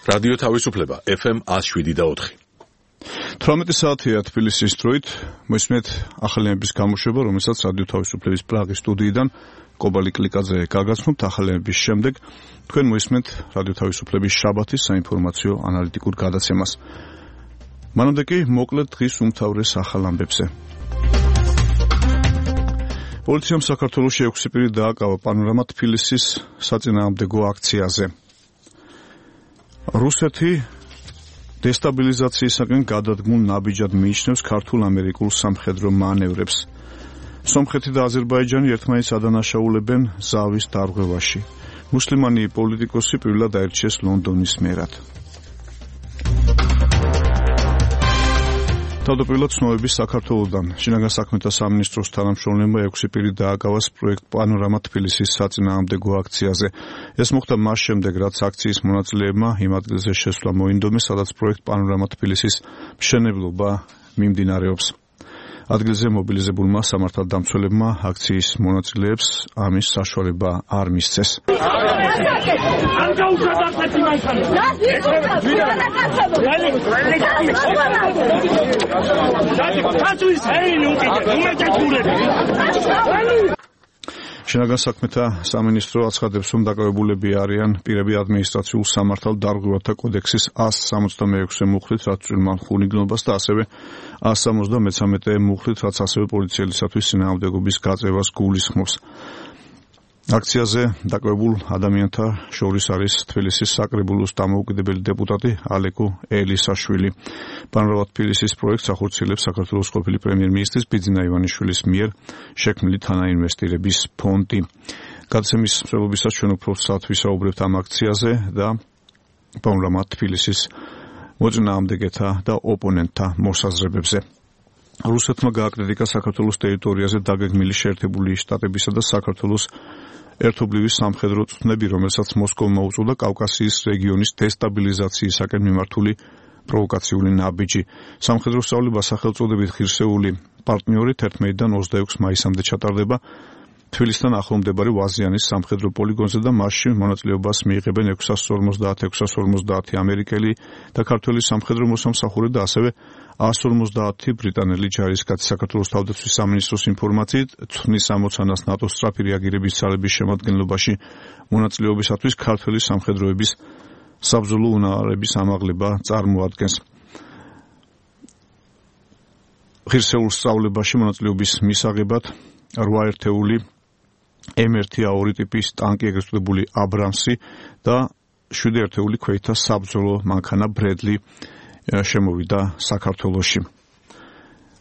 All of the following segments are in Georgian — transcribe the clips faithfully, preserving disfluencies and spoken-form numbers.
რადიო თავისუფლება ეფ ემ one oh seven და four. თვრამეტი საათია თბილისის დროით, მოისმენთ ახალების გამოშვება, რომელსაც რადიო თავისუფლების პრაღის სტუდიიდან კობალი კლიკაძე გაგაცნობთ. ახალების შემდეგ თქვენ მოისმენთ რადიო თავისუფლების შაბათის საინფორმაციო ანალიტიკურ გადაცემას. მანამდე კი მოკლედ დღის უმთავრეს ახალ ამბებზე. პოლიციამ საქართველოში ექვსი პირი დააკავა პანორამა თბილისის საწინააღმდეგო აქციაზე. რუსეთი დესტაბილიზაციისაგან გადადგმულ ნაბიჯად მიიჩნევს ქართულ-ამერიკულ სამხედრო მანევრებს. სომხეთი და აზერბაიჯანი ერთმანეთს ადანაშაულებენ ზავის დარღვევაში. მუსლიმანი პოლიტიკოსი პირველად აირჩიეს ლონდონის მერად. თავდაპირველად ცნობები საქართველოდან. შინაგან საქმეთა სამინისტროს თანამშრომლებმა ექვსი პირი დააკავას პროექტ პანორამა თბილისის საწინააღმდეგო აქციაზე. ეს მოხდა მას შემდეგ, რაც აქციის მონაწილეებმა იმ ადგილზე შესვლა მოინდომეს, სადაც პროექტ პანორამა თბილისის მშენებლობა მიმდინარეობს. ადგილზე მობილიზებულმა სამართალდამცველებმა აქციის მონაწილეებს ამის საშუალება არ მისცეს. შინაგან საქმეთა სამინისტრო აცხადებს, რომ დაკავებულები არიან პირები ადმინისტრაციულ სამართალ დარღვევათა კოდექსის one sixty-six მუხლით, რაც წვრილმან ხუნიგნობას და ასევე one seventy-three მუხლით, რაც ასევე პოლიციელისათვის წინააღმდეგობის გაწევას გულისხმობს. აქციაზე დაკავებულ ადამიანთა შორის არის თბილისის საკრებულოს დამოუკიდებელი დეპუტატი ალეკო ელისაშვილი. პანორამა თბილისის პროექტს ახორციელებს საქართველოს ყოფილი პრემიერ-მინისტრის ბიძინა ივანიშვილის მიერ შექმნილი თანაინვესტირების ფონდი. გადაცემის მსვლელობისას ჩვენ უფრო სწრაფად ვისაუბრებთ ამ აქციაზე და პანორამა თბილისის მოწინააღმდეგეთა და ოპონენტთა მოსაზრებებზე. რუსეთმა გააკრიტიკა საქართველოს ტერიტორიაზე დაგეგმილი შეერთებული შტატებისა და საქართველოს ერთობლივი სამხედრო წვნები, რომელსაც მოსკოვმა უწოდა კავკასიის რეგიონის დესტაბილიზაციისაკენ მიმართული პროვოკაციული ნაბიჯი. სამხედრო სწავლება სახელწოდებით ღირსეული პარტნიორი თერთმეტიდან ოცდაექვსი მაისამდე ჩატარდება თბილისთან ახლომდებარე ვაზიანის სამხედრო პოლიგონზე და მასში მონაწილეობას მიიღებენ ექვსას ორმოცდაათი ექვსას ორმოცდაათი ამერიკელი და ქართველი სამხედრო მოსამსახურე და ასევე one fifty ბრიტანელი ჯარისკაცი. საქართველოს თავდაცვის სამინისტროს ინფორმაციით, ცვლის ამოცანას ნატოს სწრაფი რეაგირების ძალების შემადგენლობაში მონაწილეობისათვის ქართველი სამხედროების საბრძოლო უნარების ამაღლება წარმოადგენს. ღირსეულ სწავლებაში მონაწილეობის მისაღებად რვა ერთეული ემ one A two ტიპის ტანკი, ეგრეთ წოდებული აბრამსი და შვიდი ერთეული ქვეითთა საბრძოლო მანქანა ბრედლი შემოვიდა საქართველოში.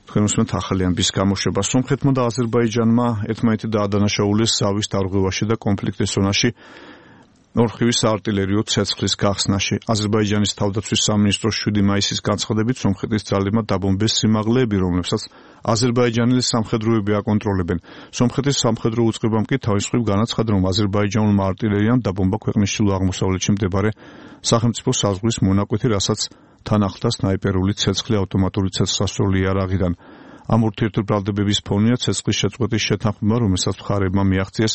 თქვენ უსმენთ ახალი ამბის გამოშვება. სომხეთმა და აზერბაიჯანმა ერთმანეთი დაადანაშაულეს ზავის დარღვევაში და კონფლიქტის ზონაში ორხივის საარტილერიო ცეცხლის გახსნაში. აზერბაიჯანის თავდაცვის სამინისტროს შვიდი მაისის განცხადებით, სომხეთის ძალებმა დაბომბეს სიმაღლეები, რომლებსაც აზერბაიჯანელი სამხედროები აკონტროლებენ. სომხეთის სამხედრო უწყებამ კი თავის მხრივ განაცხადა, რომ აზერბაიჯანულმა არტილერიამ დაბომბა ქვეყნის ჩრდილო-აღმოსავლეთში მდებარე სახელმწიფო საზღვრის მონაკვეთი, რასაც თან ახლდა სნაიპერული ცეცხლი ავტომატური ცეცხლსასროლი იარაღიდან. ამ ურთიერთბრალდებების ფონია ცეცხლის შეწყვეტის შეთანხმება, რომელსაც მხარეებმა მიაღწიეს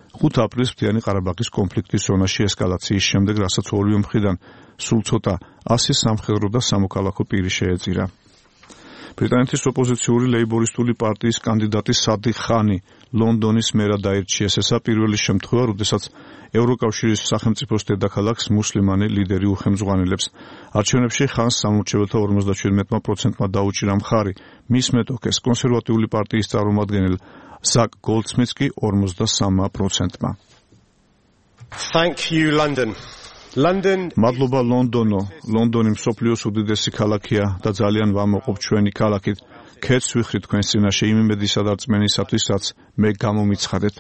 ხუთი აპრილის მთიანი ყარაბაღის კონფლიქტის ზონაში ესკალაციის შემდეგ, რასაც ორივე მხრიდან სულ ცოტა ასი სამხედრო და სამოქალაქო პირი შეეწირა. ბრიტანეთის ოპოზიციური ლეიბორისტული პარტიის კანდიდატი სადიხ ხანი ლონდონის მერად აირჩიეს. ესა პირველი შემთხვევა, როდესაც ევროკავშირის სახელმწიფოს დედაქალაქს მუსლიმანი ლიდერი უხელმძღვანელებს. არჩევნებში ხანს სამორჩეველთა ორმოცდაჩვიდმეტი პროცენტმა დაუჭირა მხარი. მის მეტოქეს კონსერვატიული პარტიის წარმომადგენელ ზაკ გოლდსმიტს კი ორმოცდასამი პროცენტმა. Thank you, London. London. მადლობა ლონდონო. ლონდონი მსოფლიოს უდიდესი ქალაქია და ძალიან ვამოყობ ჩვენი ქალაქით. ქეთს ვიხრი თქვენს წინაშე იმ იმედისა და რწმენისათვის, რაც მე გამომიცხადეთ.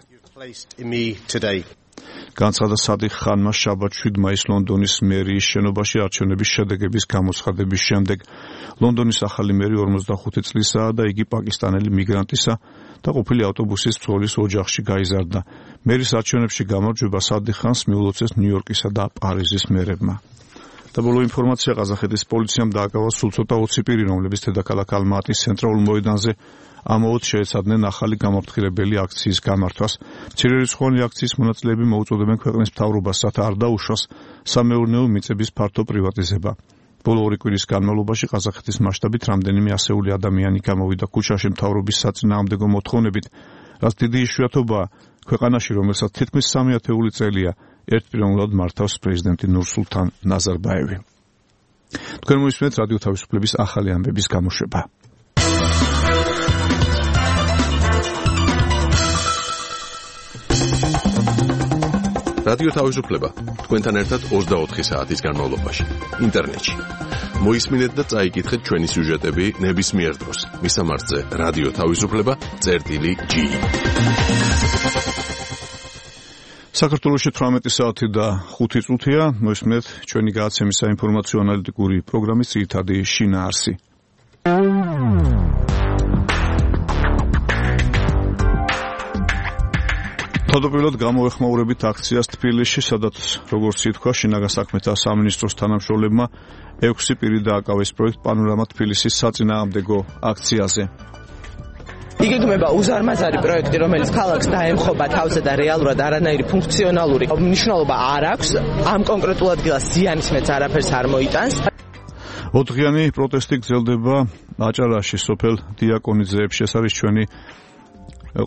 განცხადა სადიხ ხანმა შაბათ შვიდი მაისს ლონდონის მერიის შენობაში არჩევნების შედეგების გამოცხადების შემდეგ. ლონდონის ახალი მერი ორმოცდახუთი წლისაა და იგი პაკისტანელი მიგრანტისა და ყოფილი ავტობუსის მცველის ოჯახში გაიზარდა. მერის არჩევნებში გამარჯვება სადიხ ხანს მიულოცეს ნიუ-იორკისა და პარიზის მერებმა. და ბოლო ინფორმაცია ყაზახეთის პოლიციამ დააკავა სულ ცოტა ოცი პირი, რომლებიც დედაქალაქ ალმატის ცენტრალურ მოედანზე ამაოდ შეეცადნენ ახალი გამაფრთხილებელი აქციის გამართვას. მცირერიცხოვანი აქციის მონაწილეები მოუწოდებენ ქვეყნის მთავრობას, რათა არ დაუშვას სამეურნეო მიწების ფართო პრივატიზება. ბოლო ორი კვირის განმავლობაში ყაზახეთის მასშტაბით რამდენიმე ასეული ადამიანი გამოვიდა ქუჩაში მთავრობის საწინააღმდეგო მოთხოვნებით, რაც დიდი იშვიათობაა ქვეყანაში, რომელსაც თითქმის სამი ათეული წელია ერთპიროვნულად მართავს პრეზიდენტი ნურსულთან ნაზარბაევი. თქვენ მოისმენთ რადიო თავისუფლების ახალი ამბების გამოშვება. რადიო თავისუფლება თქვენთან ერთად ოცდაოთხი საათის განმავლობაში ინტერნეტში. მოისმინეთ და წაიკითხეთ ჩვენი სიუჟეტები ნებისმიერ დროს. მისამართზე რადიო თავისუფლება წერტილი ჯი. საქართველოში თვრამეტი საათი და ხუთი წუთია. მოისმინეთ ჩვენი გადაცემის საინფორმაციო ანალიტიკური პროგრამის ძირითადი შინაარსი. თავდაპირველად გამოეხმაურებით აქციას თბილისში, სადაც როგორც ითქვა, შინაგან საქმეთა სამინისტროს თანამშრომლებმა ექვსი პირი დააკავეს პროექტ პანორამა თბილისის საწინააღმდეგო აქციაზე. იგეგმება უზარმაზარი პროექტი, რომელიც ქალაქს დაემხობა თავზე და რეალურად არანაირი ფუნქციონალური მნიშვნელობა არ აქვს. ამ კონკრეტულ ადგილას ზიანის მეც არაფერს არ მოიტანს. ოთხდღიანი პროტესტი გრძელდება აჭარაში, სოფელ დიაკონიძეებში. ეს არის ჩვენი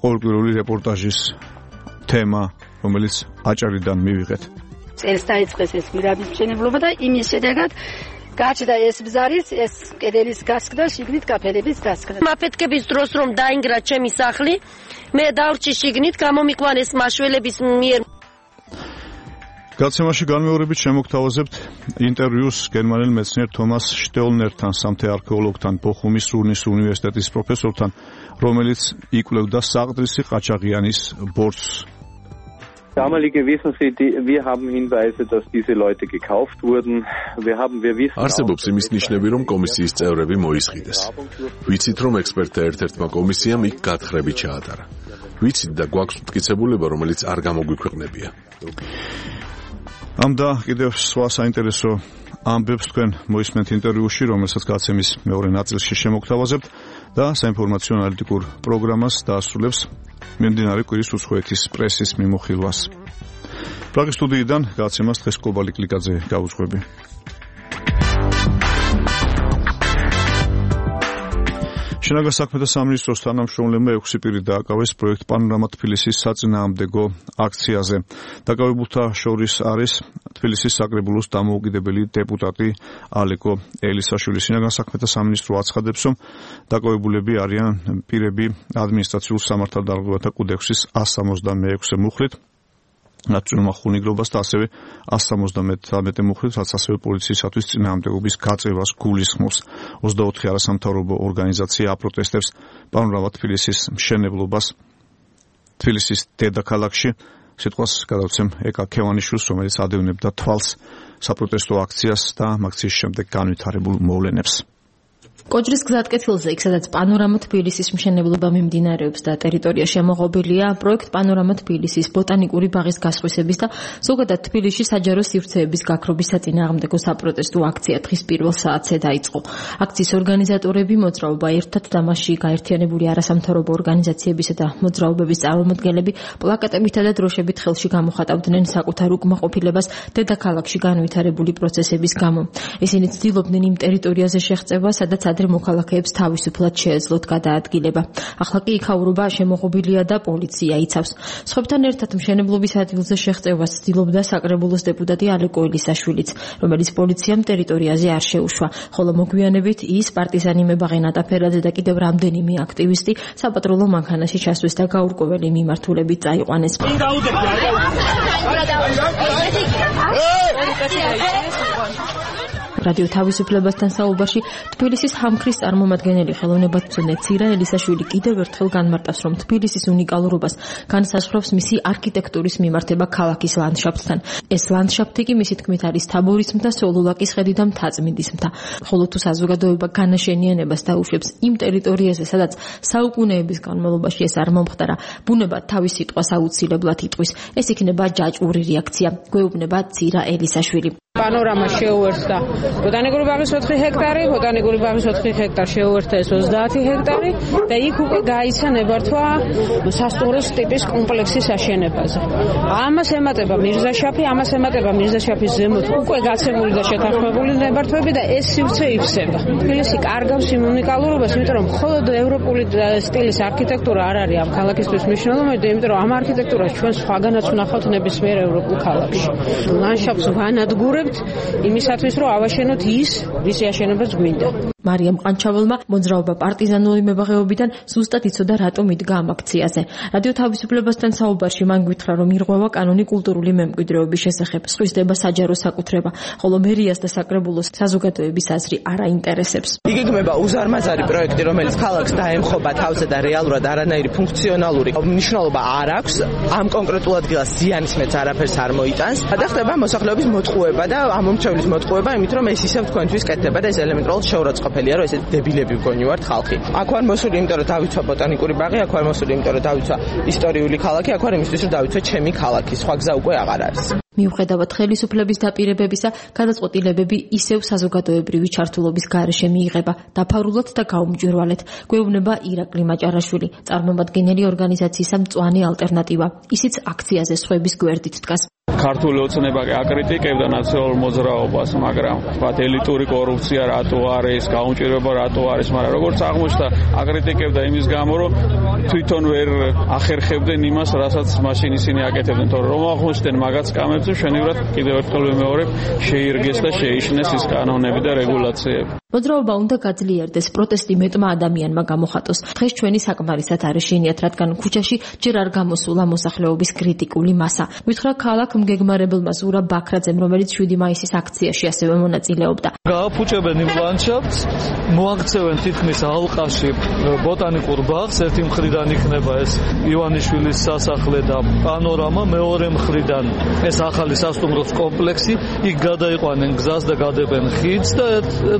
ყოველკვირეული რეპორტაჟის თემა, რომელიც აჭარიდან მივიღეთ. წელს დაიწყეს ეს გვირაბის მშენებლობა და იმის შედეგად გაჩნდა ეს ბზარის, ეს კედელის გასკდა, შიგნით კაფელების დასკდა. მაფეთქების დროს რომ დაინგრა ჩემი სახლი, მე დავრჩი შიგნით, გამომიყვანეს მაშველების მიერ. გადაცემაში განმეორებით შემოგთავაზებთ ინტერვიუს გერმანელ მეცნიერ თომას შტეულნერთან, სამთე არქეოლოგთან, ბოხუმის რუნის უნივერსიტეტის პროფესორთან, რომელიც იკვლევდა საყდრისი ყაჩაღიანის ბორცვს. Damalige wissen Sie, die, wir haben Hinweise, dass diese Leute gekauft wurden. Wir haben, wir wissen არსებობს იმის ნიშნები, რომ კომისიის წევრები მოისყიდეს. ვიცით, რომ ექსპერტთა ერთ-ერთმა კომისიამ იქ გათხრები ჩაატარა. ვიცით და გვაქვს მტკიცებულება, რომელიც არ გამოგვიქვეყნებია. ამ და კიდევ სხვა საინტერესო ამბებს თქვენ მოისმენთ ინტერვიუში, რომელსაც გადაცემის მეორე ნაწილში შემოგთავაზებთ და საინფორმაციო ანალიტიკურ პროგრამას დაასრულებს მიმდინარე კვირის უცხოეთის პრესის მიმოხილვას. პრაღის სტუდიიდან გადაცემას დღეს კობალი კლიკაძე გაუძღვები. შინაგან საქმეთა სამინისტროს თანამშრომლებმა ექვსი პირი დააკავეს პროექტ პანორამა თბილისის საწინააღმდეგო აქციაზე. დაკავებულთა შორის არის თბილისის საკრებულოს დამოუკიდებელი დეპუტატი ალეკო ელისაშვილი. შინაგან საქმეთა სამინისტრო აცხადებს, რომ დაკავებულები არიან პირები ადმინისტრაციულ სამართალდარღვევათა კოდექსის ასს სამოცდამეექვსე მუხლით, ნაციონალურ ხუნიგრობას და ასევე ასს სამოცდამეთერთმეტე მუხლით, რაც ასევე პოლიციისათვის წინააღმდეგობის გაწევას გულისხმობს. ოცდაოთხი არასამთავრობო ორგანიზაცია აპროტესტებს პანორამა თბილისის მშენებლობას თბილისის დედაქალაქში. სიტყვას გადავცემ ეკა ქევანიშვილს, რომელიც ადევნებდა თვალს საპროტესტო აქციას და აქციის შემდეგ განვითარებულ მოვლენებს. კოჯრის გზატკეცილზე, იქ სადაც პანორამა თბილისის მშენებლობა მიმდინარეობს და ტერიტორია შემოღობილია, პროექტ პანორამა თბილისის ბოტანიკური ბაღის გასხვისების და ზოგადად თბილისში საჯარო სივრცეების გაქრობის საწინააღმდეგო საპროტესტო აქცია დღის პირველ საათზე დაიწყო. აქციის ორგანიზატორები, მოძრაობა ერთად და მასში გაერთიანებული არასამთავრობო ორგანიზაციებისა და მოძრაობების წარმომადგენლები პლაკატებითა და დროშებით ხელში გამოხატავდნენ საკუთარ უკმაყოფილებას დედაქალაქში განვითარებული პროცესების გამო. ისინი ცდილობდნენ იმ ტერიტორიაზე შეღწევა, სადაც ადრე მოქალაქეებს თავისუფლად შეეძლოთ გადაადგილება. ახლა კი იქაურობა შემოღობილია და პოლიცია იცავს. სხვებთან ერთად მშენებლობის ადგილზე შეღწევას ცდილობდა საკრებულოს დეპუტატი ალეკო ელისაშვილიც, რომელიც პოლიციამ ტერიტორიაზე არ შეუშვა, ხოლო მოგვიანებით ის პარტიზანი მებაღე ნატაფერაძე და კიდევ რამდენიმე აქტივისტი საპატრულო მანქანაში ჩასვეს და გაურკვეველი მიმართულებით წაიყვანეს. რადიო თავისუფლებასთან საუბარში თბილისის ჰამქრის წარმომადგენელი ხელოვნებათმცოდნე ცირა ელისაშვილი კიდევ ერთხელ განმარტავს, რომ თბილისის უნიკალურობას განსაზღვრავს მისი არქიტექტურის მიმართება ქალაქის ლანდშაფტთან. ეს ლანდშაფტი კი მისი თქმით არის თაბორის მთა, სოლოლაკის ხედი და მთაწმინდის მთა. ხოლო თუ საზოგადოება განაშენიანებას დაუშვებს იმ ტერიტორიაზე, სადაც საუკუნეების განმავლობაში ეს არ მომხდარა, ბუნება თავის სიტყვას აუცილებლად იტყვის. ეს იქნება ჯაჭვური რეაქცია, გვეუბნება ცირა ელისაშვილი. პანორამა შეუერთდა ბოტანიკური ბაღის ოთხი ჰექტარი, ბოტანიკური ბაღის ოთხი ჰექტარი შეუერთდა ეს ოცდაათი ჰექტარი და იქ უკვე გაიცა ნებართვა სასტუმროს ტიპის კომპლექსის აშენებაზე. ამას ემატება მირზაშაფი, ამას ემატება მირზაშაფის ზემოთ უკვე გაცემული და შეთანხმებული ნებართვები და ეს სივრცე ივსება. თბილისი კარგავს იმ უნიკალურობას, იმიტომ რომ მხოლოდ ევროპული სტილის არქიტექტურა არ არის ამ ქალაქისთვის მნიშვნელოვანი, იმიტომ რომ ამ არქიტექტურას ჩვენ სხვაგანაც ვნახავთ ნებისმიერ ევროპულ ქალაქში. ლანდშაფტს ვანადგურებთ იმისათვის, რომ ავაშენოთ ის, ვისი აშენებაც გვინდა. მარიამ ყანჩაველმა მოძრაობა პარტიზანული მებაღეობიდან ზუსტად იცოდა რატომ იდგა ამ აქციაზე. რადიო თავისუფლებასთან საუბარში მან გითხრა, რომ ირღვევა კანონი კულტურული მემკვიდრეობის შესახებ, სხვისდება საჯარო საკუთრება, ხოლო მერიას და საკრებულოს საზოგადოების აზრი არ აინტერესებს. იგეგმება უზარმაზარი პროექტი, რომელიც ქალაქს დაემხობა თავზე და რეალურად არანაირი ფუნქციონალური მნიშვნელობა არ აქვს, ამ კონკრეტულ ადგილას ზიანის მეც არაფერს არ მოიტანს. და ხდება მოსახლეობის მოტყუება და ამომრჩევლის მოტყუება, იმით რომ ეს ისევ თქვენთვის კეთდება და ეს ელემენტარულად შეურაცხყოფელია, რომ ესეთ დებილები მგონი ვართ ხალხი. აქ ვარ მოსული, იმიტომ რომ დავიცვა ბოტანიკური ბაღი, აქ ვარ მოსული, იმიტომ რომ დავიცვა ისტორიული ქალაქი, აქ ვარ იმისთვის, რომ დავიცვა ჩემი ქალაქი. სხვა გზა უკვე აღარ არის. მიუხედავად ხელისუფლების დაპირებებისა, გადაწყვეტილებები ისევ საზოგადოებრივი ჩართულობის გარეშე მიიღება, დაფარულად და გაუმჯვირვალედ. გვეუბნება ირაკლი მაჭარაშვილი, წარმომადგენელი ორგანიზაციისა მწვანე ალტერნატივა. ისიც აქციაზე სხვების გვერდით დგას. ქართული ოცნება კი აკრიტიკებდა ნაციონალურ მოძრაობას, მაგრამ ვთქვათ ელიტური კორუფცია რატო არის, გაუმჭირვება რატო არის, მაგრამ როგორც აღმოჩნდა, აკრიტიკებდა იმის გამო, რომ თვითონ ვერ ახერხებდნენ იმას, რასაც მაშინ ისინი აკეთებდნენ, თორემ რომ აღმოჩნდნენ მაგაც კამებზე, შენივრად კიდევ ერთხელ ვიმეორებ, შეირგეს და შეიშნეს ის კანონები და რეგულაციები. მოძრაობა უნდა გაძლიერდეს, პროტესტი მეტმა ადამიანმა გამოხატოს. დღეს ჩვენი საკმარისად არ ეშინიათ, რადგან ქუჩაში ჯერ არ გამოსულა მოსახლეობის კრიტიკული მასა. გითხრა ქალაქ მგეგმარებელმა ზურა ბაქრაძემ, რომელიც შვიდი მაისის აქციაში ასევე მონაწილეობდა. გააფუჭებენ იმ ლანდშაფტს, მოაქცევენ თითქმის ალყაში ბოტანიკურ ბაღს, ერთი მხრიდან იქნება ეს ივანიშვილის სასახლე და პანორამა, მეორე მხრიდან ეს ახალი სასტუმროს კომპლექსი, იქ გადაიყვანენ გზას და გადებენ ხიდს და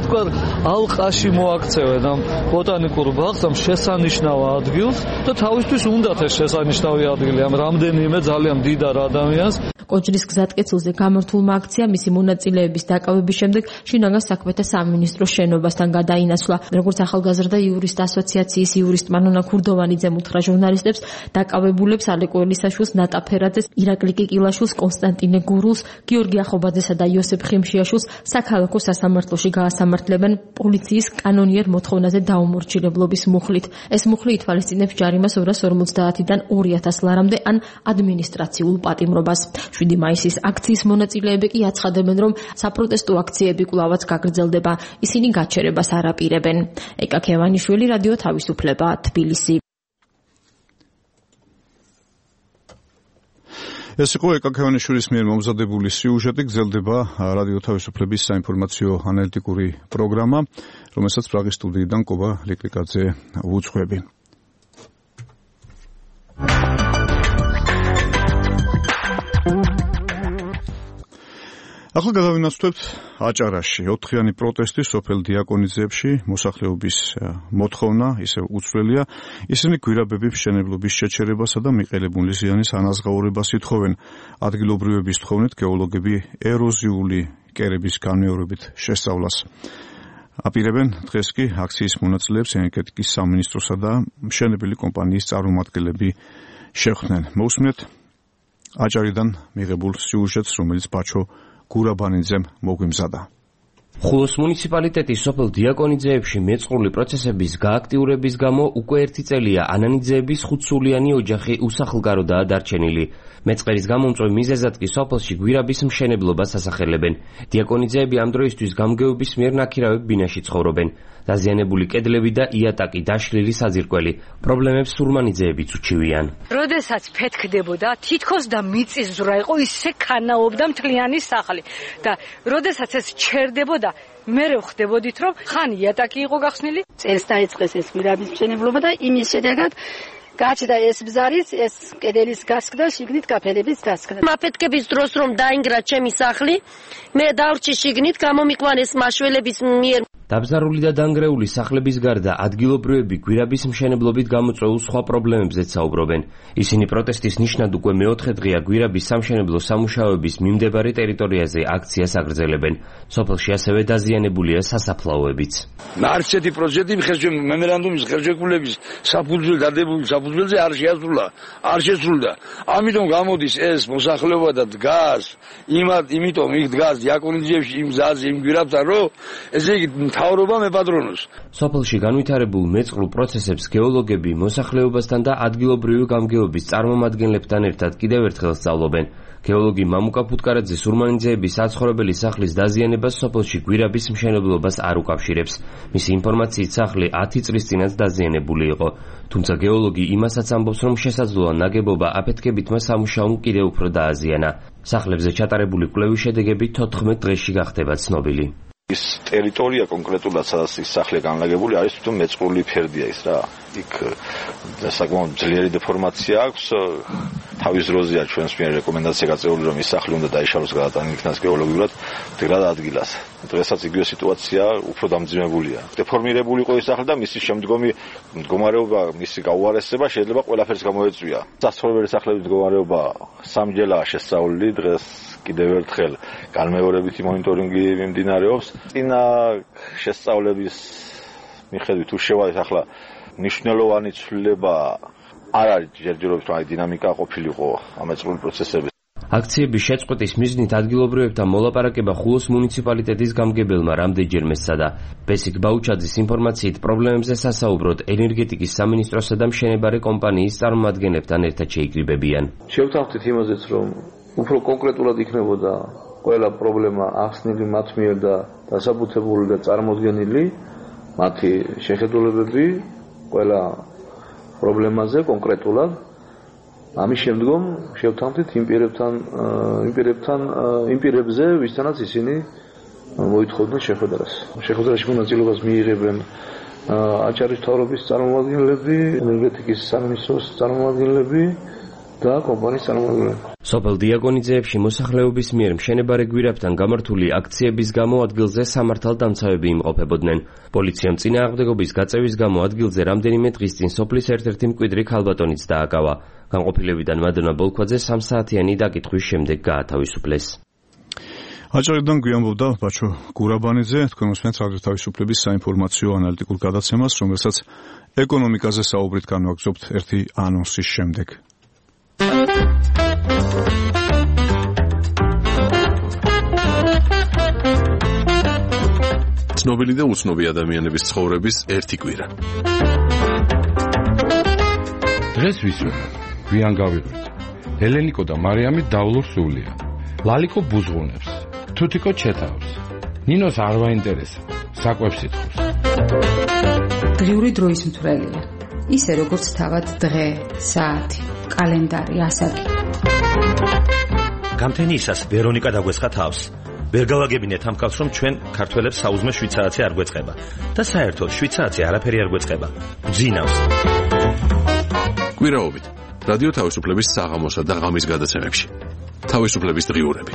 თქვა ალყაში მოაქცევენ ამ ბოტანიკურ ბაღს, ამ შესანიშნავ ადგილს და თავისთვის უნდათ ეს შესანიშნავი ადგილი ამ რამდენიმე ძალიან მდიდარ ადამიანს. კოჯრის გზატკეცილზე გამართულმა აქციამ მისი მონაწილეების დაკავების შემდეგ შინაგან საქმეთა სამინისტროს შენობასთან გადაინაცვლა. როგორც ახალგაზრდა იურისტ ასოციაციის იურისტ მანონა ქურდოვანიძემ უთხრა ჟურნალისტებს, დაკავებულებს ალეკო ელისაშვილს, ნატა ფერაძეს, ირაკლი კიკილაშვილს, კონსტანტინე გურულს, გიორგი ახობაძესა და იოსებ ხიმშიაშვილს საქალაქო სასამართლოში გაასამართლებენ პოლიციის კანონიერ მოთხოვნაზე დაუმორჩილებლობის მუხლით. ეს მუხლი ითვალისწინებს ჯარიმას ორას ორმოცდაათიდან ორი ათას ლარამდე ან ადმინისტრაციულ პატიმრობას. შვიდი მაისის აქციის მონაწილეები კი აცხადებენ, რომ საპროტესტო აქციები კვლავაც გაგრძელდება. ისინი გაჩერებას არ აპირებენ. ეკა ქევანიშვილი, რადიო თავისუფლება, თბილისი. ეს იყო ეკა ქევანიშვილის მიერ მომზადებული სიუჟეტი, გრძელდება რადიო თავისუფლების საინფორმაციო ანალიტიკური პროგრამა, რომელსაც პრაღის სტუდიიდან კობა ლიკლიკაძე უძღვები. ახლა გადავინაცვლებთ აჭარაში. ოთხიანი პროტესტი სოფელ დიაკონიძეებში, მოსახლეობის მოთხოვნა ისევ უცვლელია. ისინი გვირაბების მშენებლობის შეჩერებასა და მიყენებული ზიანის ანაზღაურებას ითხოვენ. ადგილობრივების თხოვნით გეოლოგები ეროზიული კერების განმეორებით შესწავლას აპირებენ. დღეს კი აქციის მონაწილეებს ენერგეტიკის სამინისტროსა და მშენებელი კომპანიის წარმომადგენლები შეხვდნენ. მოусმენთ აჭარიდან მიღებულ სიუჟეტს, რომელიც ბაჩო გურაბანიძემ მოგვიმზადა. ხულოს მუნიციპალიტეტის სოფელ დიაკონიძეებში მეწყრული პროცესების გააქტიურების გამო უკვე ერთი წელია ანანიძეების ხუთსულიანი ოჯახი უსახლკაროდაა დარჩენილი. მეწყერის გამომწვევ მიზეზად კი სოფელში გვირაბის მშენებლობას ასახელებენ. დიაკონიძეები ამ დროისთვის გამგეობის მიერ ნაქირავებ ბინაში ცხოვრობენ. დაზიანებული კედლები და იატაკი, დაშლილი საძირკველი. პრობლემებს სურმანიძეებიც უჩივიან. როდესაც ფეთქდებოდა, თითქოს და მიწისძვრა იყო, ისე ქანაობდა მთლიანი სახლი. და როდესაც ეს ჩერდებოდა, მე ვხვდებოდით, რომ ხან იატაკი იყო გახსნილი. წელს დაიწყეს ეს გვირაბის მშენებლობა და იმის შედეგად გაჩნდა ეს ბზარის, ეს კედელის გასკდა, შიგნით კაფელების დასკდა. მაფეთქების დროს რომ დაინგრა ჩემი სახლი, მე დავრჩი შიგნით, გამომიყვანეს მაშველების მიერ. დაბზარული და დანგრეული სახლების გარდა ადგილობრივები გვირაბის მშენებლობით გამოწვეულ სხვა პრობლემებზეც საუბრობენ. ისინი პროტესტის ნიშნად უკვე მეოთხე დღეა გვირაბის სამშენებლო სამუშაოების მიმდებარე ტერიტორიაზე აქციას აგრძელებენ. სოფელში ასევე დაზიანებულია სასაფლაოებიც. ნარჩეთი პროექტი ხერხემ მემორანდუმის ხერხეკულების საფუძველ დადებული საფუძველზე არ შეასრულა, არ შესრულდა. ამიტომ გამოდის ეს მოსახლეობა და დგას, იმათ, იმიტომ იქ დგას დიაკონიძეებში იმ გზაზე იმ გვირაბთან, რომ ესე იგი მთავრობა მეპატრონოს. სოფელში განვითარებულ მეწყრულ პროცესებს გეოლოგები მოსახლეობასთან და ადგილობრივი გამგეობის წარმომადგენლებთან ერთად კიდევ ერთხელ სწავლობენ. გეოლოგი მამუკა ფუტკარაძის ურმანიძეების საცხოვრებელი სახლის დაზიანებას სოფელში გვირაბის მშენებლობას არ უკავშირებს. მისი ინფორმაციით სახლი ათი წლის წინაც დაზიანებული იყო. თუმცა გეოლოგი იმასაც ამბობს, რომ შესაძლოა ნაგებობა აფეთქებითმა სამუშაომ კიდევ უფრო დააზიანა. სახლებზე ჩატარებული კვლევის შედეგები თოთხმეტ დღეში გახდება ცნობილი. ის ტერიტორია კონკრეტულად სადაც ის სახლი განლაგებული არის თვითონ მეწყრული ფერდია ის რა. იქ საკმაოდ ძლიერი დეფორმაცია აქვს. თავის დროზეა ჩვენს მიერ რეკომენდაცია გაწეული რომ ის სახლი უნდა დაიშალოს გადატანილი იქნას გეოლოგიურად მდგრად ადგილას. დღესაც იგივე სიტუაცია უფრო დამძიმებულია. დეფორმირებული იყო ის სახლი და მისი შემდგომი მდგომარეობა, მისი გაუარესება შეიძლება ყველაფერს გამოეწვია. საცხოვრებელი სახლების მდგომარეობა სამჯერაა შესწავლილი დღეს კიდევ ერთხელ განმეორებითი მონიტორინგი მიმდინარეობს. წინა შესწავლების მიხედვით თუ შევადეთ ახლა მნიშვნელოვანი ცვლილება არ არის ჯერჯერობით აი დინამიკა ყოფილიყო ამ ეწყრული პროცესების. აქციების შეწყვეტის მიზნით ადგილობრივებთან მოლაპარაკება ხულოს მუნიციპალიტეტის გამგებელმა რამდენჯერმე სცადა. ბესიკ ბაუჩაძის ინფორმაციით პრობლემებზე სასაუბროდ ენერგეტიკის სამინისტროსა და მშენებარე კომპანიის წარმომადგენლებთან ერთად შეიკრიბებიან. შევთანხმდით იმაზეც რომ უფრო კონკრეტულად იქნებოდა ყველა პრობლემა ახსნილი მათ მიერ და დასაბუთებული და წარმოდგენილი მათი შეხედულებები ყველა პრობლემაზე კონკრეტულად. ამის შემდგომ შევთანხმდით იმ პირებთან იმ პირებთან იმ პირებზე ვისთანაც ისინი მოითხოვდნენ შეხვედრას. შეხვედრაში მონაწილეობას მიიღებენ აჭარის მთავრობის წარმომადგენლები, ენერგეტიკის სამინისტროს წარმომადგენლები და კომპანიის წარმომადგენლები. სოფელ დიაკონიძეებში მოსახლეობის მიერ მშენებარე გვირაბთან გამართული აქციების გამო ადგილზე სამართალდამცავები იმყოფებოდნენ. პოლიციამ წინააღმდეგობის გაწევის გამო ადგილზე რამდენიმე დღის წინ სოფლის ერთ-ერთი მკვიდრი ქალბატონიც დააკავა. განყოფილებიდან მადონა ბოლქვაძე სამსაათიანი დაკითხვის შემდეგ გაათავისუფლეს. აჭარიდან გვიამბობდა ბაჩო გურაბანიძე, თქვენ უსმენთ რადიო თავისუფლების საინფორმაციო ანალიტიკურ გადაცემას, რომელსაც ეკონომიკაზე საუბრით განვაგრძობთ ერთი ანონსის შემდეგ. ცნობილი და უცნობი ადამიანების ცხოვრების ერთი კვირა. დღეს ვისურვებ, გვიან გავიღვით. ელენიკო და მარიამი დავლურ სულია. ლალიკო ბუზღუნებს, თუთიკო ჩეთავს. ნინოს არ ვაინტერესა, საკვებს ითხოვს. დღიური დროის მთვრელია. ისე როგორც თავად დღე, საათი, კალენდარი, ასაკი. გამთენიისას ვერონიკა დაგვესხა თავს. ვერ გავაგებინეთ ამ კაცს, რომ ჩვენ ქართველებს საუზმე შვიდ საათი არ გვეწყება და საერთოდ შვიდ საათი არაფერი არ გვეწყება. გძინავს. კვირაობით რადიო თავისუფლების საღამოსა და ღამის გადაცემებში. თავისუფლების დღიურები.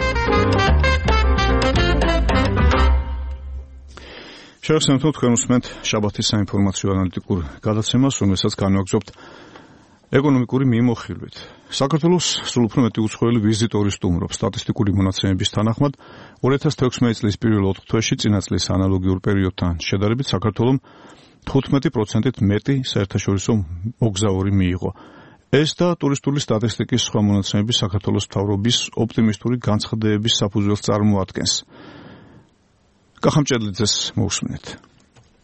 შევახსენებთ, თქვენ უსმენთ შაბათის საინფორმაციო ანალიტიკურ გადაცემას, რომელსაც განვაგრძობთ ეკონომიკური მიმოხილვით. საქართველოს სულ უფრო მეტი უცხოელი ვიზიტორი სტუმრობს. სტატისტიკური მონაცემების თანახმად ორი ათას თექვსმეტი წლის პირველ ოთხ თვეში წინა წლის ანალოგიურ პერიოდთან შედარებით საქართველოს თხუთმეტი პროცენტით მეტი საერთაშორისო მოგზაური მიიღო. ეს და ტურისტული სტატისტიკის სხვა მონაცემები საქართველოს მთავრობის ოპტიმისტური განცხადებების საფუძველს წარმოადგენს. კახამჭედლიძეს მოусმინეთ.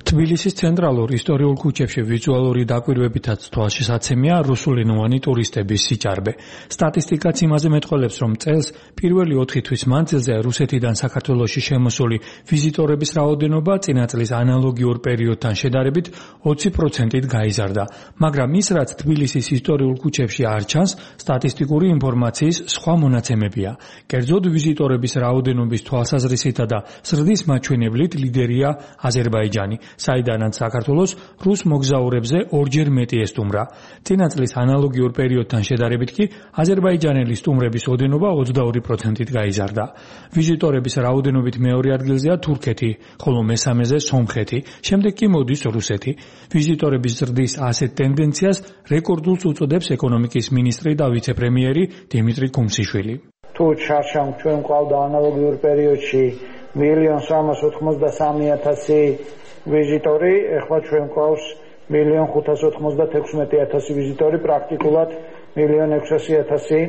თბილისის ცენტრალურ ისტორიულ ქუჩებში ვიზუალური დაკვირვებითაც თვალშესაცემია რუსულენოვანი ტურისტების სიჭარბე. სტატისტიკაც იმაზე მეტყველებს, რომ წელს პირველი ოთხი თვის მანძილზე რუსეთიდან საქართველოში შემოსული ვიზიტორების რაოდენობა წინა წლის ანალოგიურ პერიოდთან შედარებით ოცი პროცენტით გაიზარდა. მაგრამ ის, რაც თბილისის ისტორიულ ქუჩებში არ ჩანს, სტატისტიკური ინფორმაციის სხვა მონაცემებია. კერძოდ ვიზიტორების რაოდენობის თვალსაზრისითა და ზრდის მაჩვენებლით ლიდერია აზერბაიჯანი. საიდანაც საქართველოს რუს მოგზაურებზე ორჯერ მეტი ესტუმრა. წინა წლის ანალოგიურ პერიოდთან შედარებით კი აზერბაიჯანელი სტუმრების ოდენობა ოცდაორი პროცენტით გაიზარდა. ვიზიტორების რაოდენობით მეორე ადგილზეა თურქეთი, ხოლო მესამეზე სომხეთი, შემდეგ კი მოდის რუსეთი. ვიზიტორების ზრდის ასეთ ტენდენციას რეკორდულს უწოდებს ეკონომიკის მინისტრი და ვიცე-პრემიერი დიმიტრი კუმსიშვილი. თუ ჩარჩამ ჩვენ ყავდა ანალოგიურ პერიოდში მილიონ სამას ოთხმოცდასამი ათასი ვიზიტორი, ეხლა ჩვენ ყავს მილიონ ხუთას ოთხმოცდათექვსმეტი ათასი ვიზიტორი, პრაქტიკულად მილიონ ექვსასი ათასი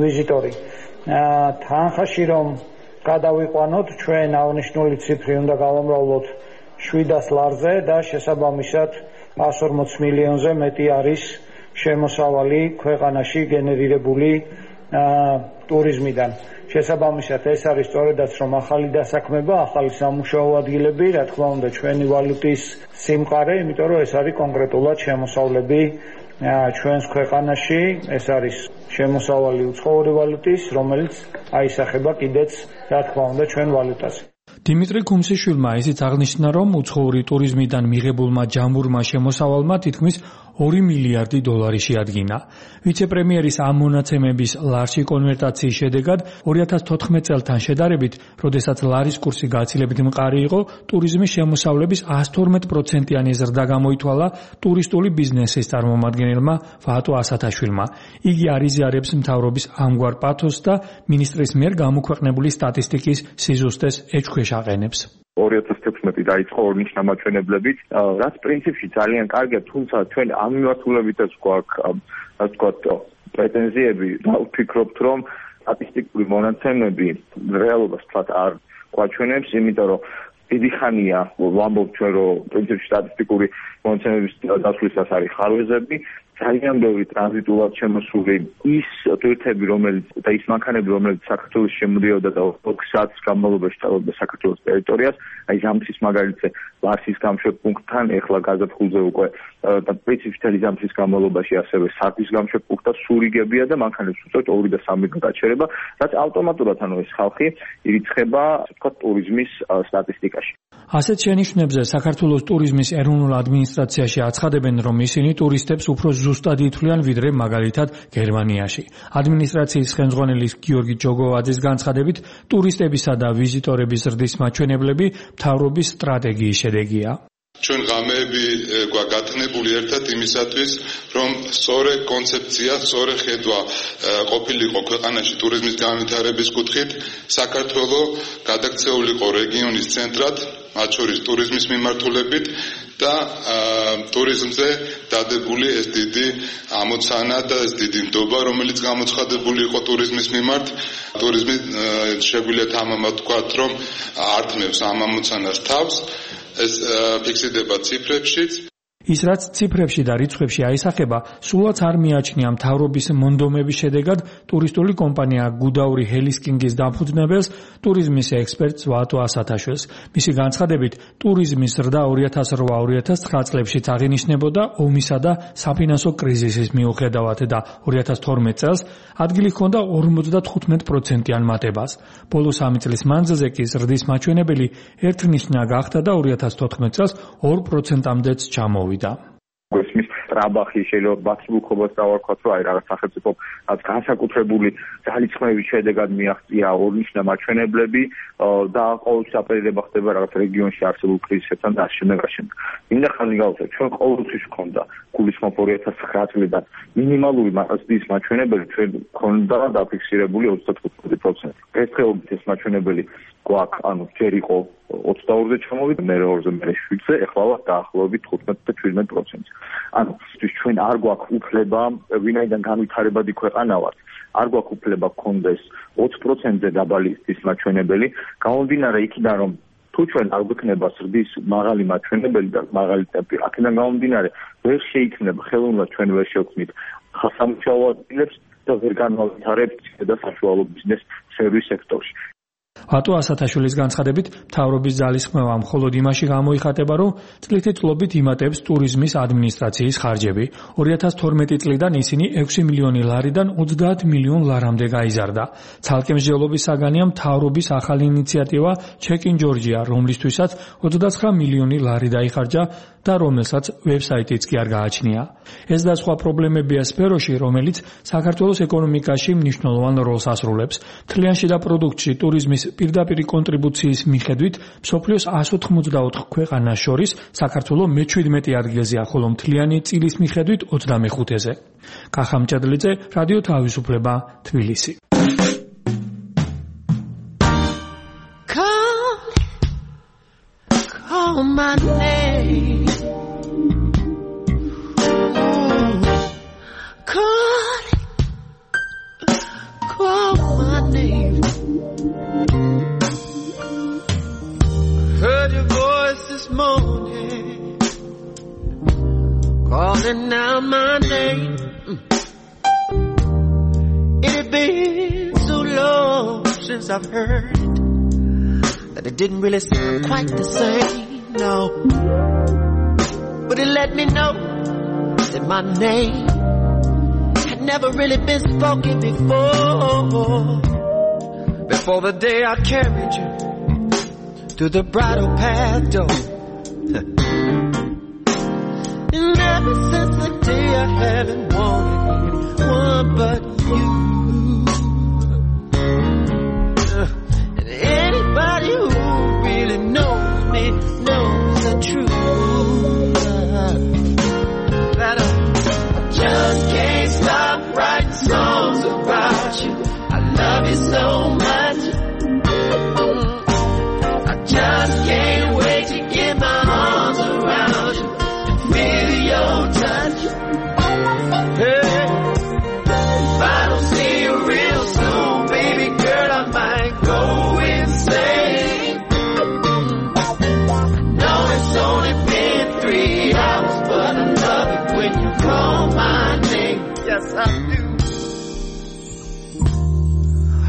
ვიზიტორი. თანხაში რომ გადავიყვანოთ, ჩვენ აღნიშნული ციფრი უნდა გავამრავლოთ შვიდას ლარზე და შესაბამისად εκατს ორმოც მილიონზე მეტი არის შემოსავალი ქვეყანაში გენერირებული ტურიზმიდან. შესაბამისად ეს არის სწორედაც რომ ახალი დასაქმება, ახალი სამუშაო ადგილები, რა თქმა უნდა ჩვენი ვალუტის სიმყარე, იმიტომ რომ ეს არის კონკრეტულად შემოსავლები ჩვენს ქვეყანაში, ეს არის შემოსავალი უცხოური ვალუტის, რომელიც აისახება კიდეც რა თქმა უნდა ჩვენ ვალუტაზე. დიმიტრი კუმსიშვილმა ისიც აღნიშნა, რომ უცხოური ტურიზმიდან მიღებულმა ჯამურმა შემოსავალმა თითქმის ორი მილიარდი დოლარი შეადგინა. ვიცე-პრემიერის ამ მონაცემების ლარში კონვერტაციის შედეგად ორი ათას თოთხმეტ წელთან შედარებით, როდესაც ლარის კურსი გაცილებით მყარი იყო, ტურიზმის შემოსავლების εκατს თორმეტ პროცენტიანი ზრდა გამოითვალა ტურისტული ბიზნესის წარმომადგენელმა ვაატო ასათაშვილმა. იგი არიზიარებს მთავრობის ამგვარ პათოსს და მინისტრის მიერ გამოქვეყნებული სტატისტიკის სიზუსტეს ეჭქვეშ აყენებს. ორი ათას თექვსმეტი დაიწყო ორნიშნა მაჩვენებლებით, რაც პრინციპში ძალიან კარგია, თუმცა ჩვენ ამ მიმართულებითაც გვაქვს, ასე ვთქვათ, პრეტენზიები და ვფიქრობთ, რომ სტატისტიკური მონაცემები რეალობას თქვათ არ გვაჩვენებს, იმიტომ რომ დიდი ხანია ვამბობთ ჩვენ, რომ პრინციპში სტატისტიკური მონაცემების დასვლისას არის ხარვეზები, ძალიან ბევრი ტრანზიტულად შემოსული ის ტურისტები, რომელიც და ის მანქანები, რომელიც საქართველოს შემოდიოდა და ოთხ საათის განმავლობაში წავიდა საქართველოს ტერიტორიას, აი ზამთრის მაგალითზე ვარსის გამშვებპუნქტთან, ეხლა გაზაფხულზე უკვე და პრინციპში ზამთრის განმავლობაში ასევე სარდის გამშვებპუნქტთან სურიგებია და მანქანებს უწევთ ორი და სამი გაჩერება, რაც ავტომატურად ანუ ეს ხალხი ირიცხება, ასე ვთქვათ, ტურიზმის სტატისტიკაში. ასეთ შენიშვნებზე საქართველოს ტურიზმის ეროვნულ ადმინისტრაციაში აცხადებენ, რომ ისინი ტურისტებს უფრო ზუსტად ითვლიან ვიდრე მაგალითად გერმანიაში. ადმინისტრაციის ხელმძღვანელი გიორგი ჯოგოვაძის განცხადებით, ტურისტებისა და ვიზიტორების ზრდის მაჩვენებლები მთავრობის სტრატეგიის შედეგია. ჩვენ ღამეები გვაგატნებული ერთად იმისათვის, რომ სწორი კონცეფცია, სწორი ხედვა ყოფილიყო ქვეყანაში ტურიზმის განვითარების კუთხით, საქართველო გადაქცეულიყო რეგიონის ცენტრად, მათ შორის ტურიზმის მიმართულებით და ტურიზმზე დადებული ეს დიდი ამოცანა და ეს დიდი ნდობა, რომელიც გამოცხადებული იყო ტურიზმის მიმართ. ტურიზმი შეგვიძლია თამამად ვთქვათ, რომ ართმევს ამ ამოცანას თავს. ეს ფიქსირდება ციფრებშიც. ის რაც ციფრებში და რიცხვებში აისახება, სულაც არ მიაჩნია მთავრობის მონდომების შედეგად ტურისტული კომპანია გუდაური ჰელისკინგის დამფუძნებელს, ტურიზმის ექსპერტს ვაატო ასათაშვილს. მისი განცხადებით, ტურიზმის ზრდა ორი ათას რვა ორი ათას ცხრა წლებშიც აღინიშნებოდა ომისა და საფინანსო კრიზისის მიუხედავად და ორი ათას თორმეტ წელს ადგილი ჰქონდა ორმოცდათხუთმეტ პროცენტიან მატებას. ბოლო სამი წლის მანძილზე კი ზრდის მაჩვენებელი ერთნიშნა გახდა და ორი ათას თოთხმეტ წელს ორ პროცენტამდეც ჩამოვიდა. გვესმის ტრაბახი შეიძლება ბაცლუქობას დავარქვათ, რომ აი რაღაც სახელმწიფო განსაკუთრებული ძალისხმევის შედეგად მიაღწია ორნიშნა მაჩვენებლები და ყოველთვის აპელირება ხდება რაღაც რეგიონში არსებულ კრიზისებთან და ამ შემდეგ. მინდა ხაზი გავუსვა, ჩვენ ყოველთვის გვქონდა გულისხმობ ორი ათას ცხრა წლიდან მინიმალური მასწავლებლის მაჩვენებელი ჩვენ გვქონდა დაფიქსირებული ოცდათხუთმეტი პროცენტი. დღესდღეობით ეს მაჩვენებელი გვაქვს, ანუ ჯერ იყო ოცდაორზე ჩამოვიდა, მე ორზე, მე შვიდზე, ეხლა ვართ დაახლოებით თხუთმეტ და შვიდმეტ პროცენტზე. ანუ ჩვენ არ გვაქვს უფლება, ვინაიდან განვითარებადი ქვეყანა ვართ, არ გვაქვს უფლება გქონდეს ოც პროცენტზე დაბალი ის მაჩვენებელი, გამომდინარე იქიდან, რომ თუ ჩვენ არ გვექნება ზრდის მაღალი მაჩვენებელი და მაღალი ტემპი, აქედან გამომდინარე ვერ შეიქმნება ხელოვნურად ჩვენ ვერ შევქმნით სამუშაო ადგილებს და ვერ განვითარებთ და საშუალო ბიზნეს სერვის სექტორში. ვატო ასათაშვილის განცხადებით, მთავრობის ძალისხმევა მხოლოდ იმაში გამოიხატება, რომ წლითი-წლობით იმატებს ტურიზმის ადმინისტრაციის ხარჯები. ორი ათას თორმეტი წლიდან ისინი ექვსი მილიონი ლარიდან ოცდაათ მილიონ ლარამდე გაიზარდა. ცალკე მსჯელობის საგანია მთავრობის ახალი ინიციატივა Check in Georgia, რომლისთვისაც ოცდაცხრა მილიონი ლარი დაიხარჯა და რომელსაც ვებსაიტიც კი არ გააჩნია. ეს და სხვა პრობლემებია სფეროში, რომელიც საქართველოს ეკონომიკაში მნიშვნელოვან როლს ასრულებს. მთლიანში და პროდუქტში ტურიზმის პირდაპირი კონტრიბუციის მიხედვით მსოფლიოს εκατს ოთხმოცდაოთხ ქვეყანას შორის საქართველო მეჩვიდმეტე ადგილზეა, ხოლო მთლიანი წილის მიხედვით ოცდამეხუთეზე. კახა მჭედლიძე, რადიო თავისუფლება, თბილისი. Call my name. Call, call my name. Heard your voice this morning, calling out my name. It had been so long since I've heard it that it didn't really sound quite the same, no. But it let me know that my name had never really been spoken before. Before the day I carried you through the bridal path door. And ever since the day I haven't wanted anyone but you. And anybody who really knows me knows the truth. That I just can't stop writing songs about you. I love you so much. I just can't wait to get my arms around you and feel your touch. Hey, if I don't see you real soon, baby girl, I might go insane. I know it's only been three hours, but I love it when you call my name. Yes, I do.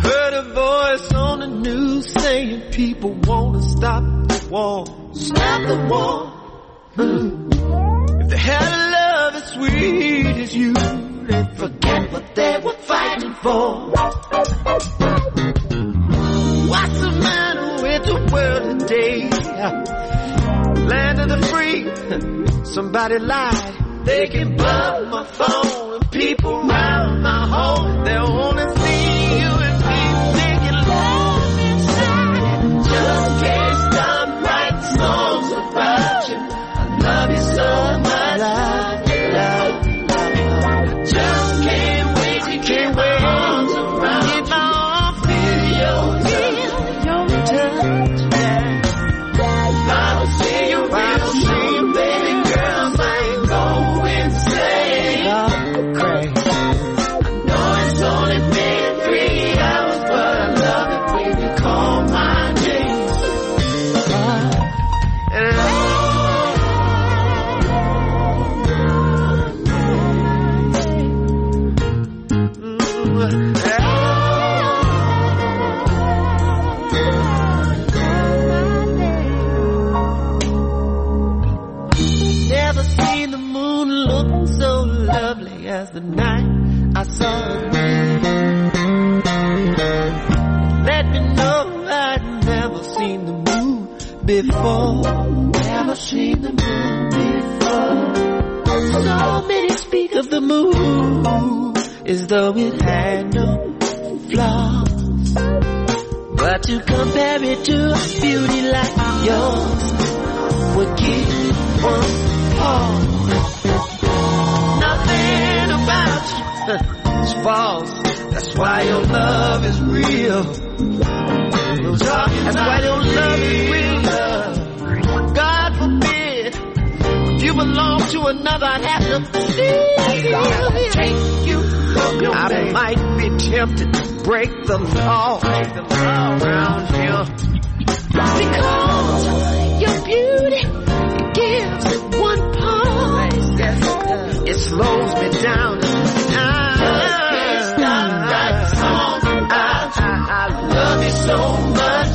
Heard a voice on the news saying people want to stop the war. Stop the war. Hmm. If they had a love as sweet as you, they'd forget what they were fighting for. What's the matter with the world today? Land of the free. Somebody lied. They can blow my phone and people round my home. They only see you and me thinking love inside. Just can't stop writing songs about you. I love you so much. Love you, love you, love you. I just can't wait to get my arms around you. Get my arms, feel your touch, your touch. Yeah. If I don't see you, I don't see you, baby girl, I might go insane. Go crazy. I know it's only been three hours, but I love it when you call my name. And I never seen the moon look so lovely as the night I saw it. Let me know I'd never seen the moon before. Never seen the moon before. So many speak of the moon as though it had no flaws. But to compare it to a beauty like yours would give one pause. Nothing about you is false. That's why your love is real. That's why your love is real love. God forbid if you belong to another, I'd have to take you. I might be tempted to break the law, break the law around here. Because your beauty gives one pause. It slows me down. I, I, I, I love you so much.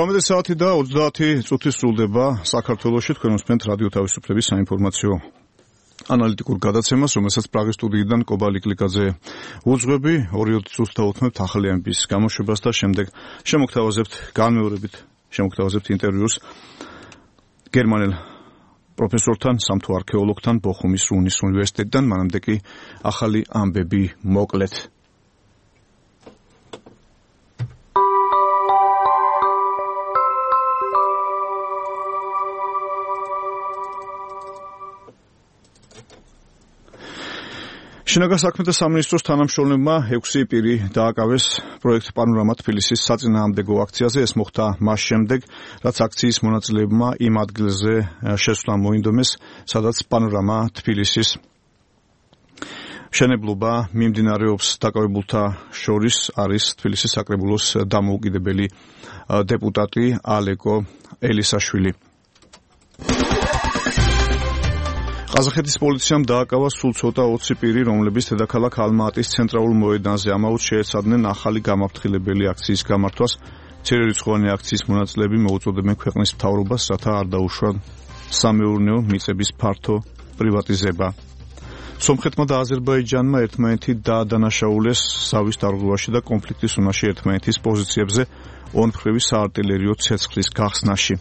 ცხრამეტი საათი და ოცდაათი წუთი სრულდება საქართველოში. თქვენ უსმენთ რადიო თავისუფლების საინფორმაციო ანალიტიკურ გადაცემას, რომელსაც პრაღის სტუდიიდან კობალი კლიკაძე უძღვები. ორი წუთს დავუთმებთ ახალი ამბის გამოშვებას და შემდეგ შემოგთავაზებთ განმეორებით შემოგთავაზებთ ინტერვიუს გერმანელ პროფესორთან, სამთო არქეოლოგთან ბოხუმის რუნის უნივერსიტეტიდან. მანამდე კი ახალი ამბები მოკლედ. შინაგან საქმეთა სამინისტროს თანამშრომლებმა ექვსი პირი დააკავეს პროექტ პანორამა თბილისის საწინააღმდეგო აქციაზე. ეს მოხდა მას შემდეგ, რაც აქციის მონაწილეებმა იმ ადგილზე შესვლა მოინდომეს, სადაც პანორამა თბილისის მშენებლობა მიმდინარეობს. დაკავებულთა შორის არის თბილისის საკრებულოს დამოუკიდებელი დეპუტატი ალეკო ელისაშვილი. ყაზახეთის პოლიციამ დააკავა სულ ცოტა ოცი პირი, რომლებიც დედაქალაქ ალმა-ატის ცენტრალურ მოედანზე ამაოდ შეეცადნენ ახალი გამაფრთხილებელი აქციის გამართვას. მცირერიცხოვანი აქციის მონაწილეები მოუწოდებენ ქვეყნის მთავრობას, რათა არ დაუშვან სამეურნეო მიწების ფართო პრივატიზება. სომხეთმა და აზერბაიჯანმა ერთმანეთი დაადანაშაულეს ზავის დარღვევაში და კონფლიქტის უნაში ერთმანეთის პოზიციებზე ორმხრივი საარტილერიო ცეცხლის გახსნაში.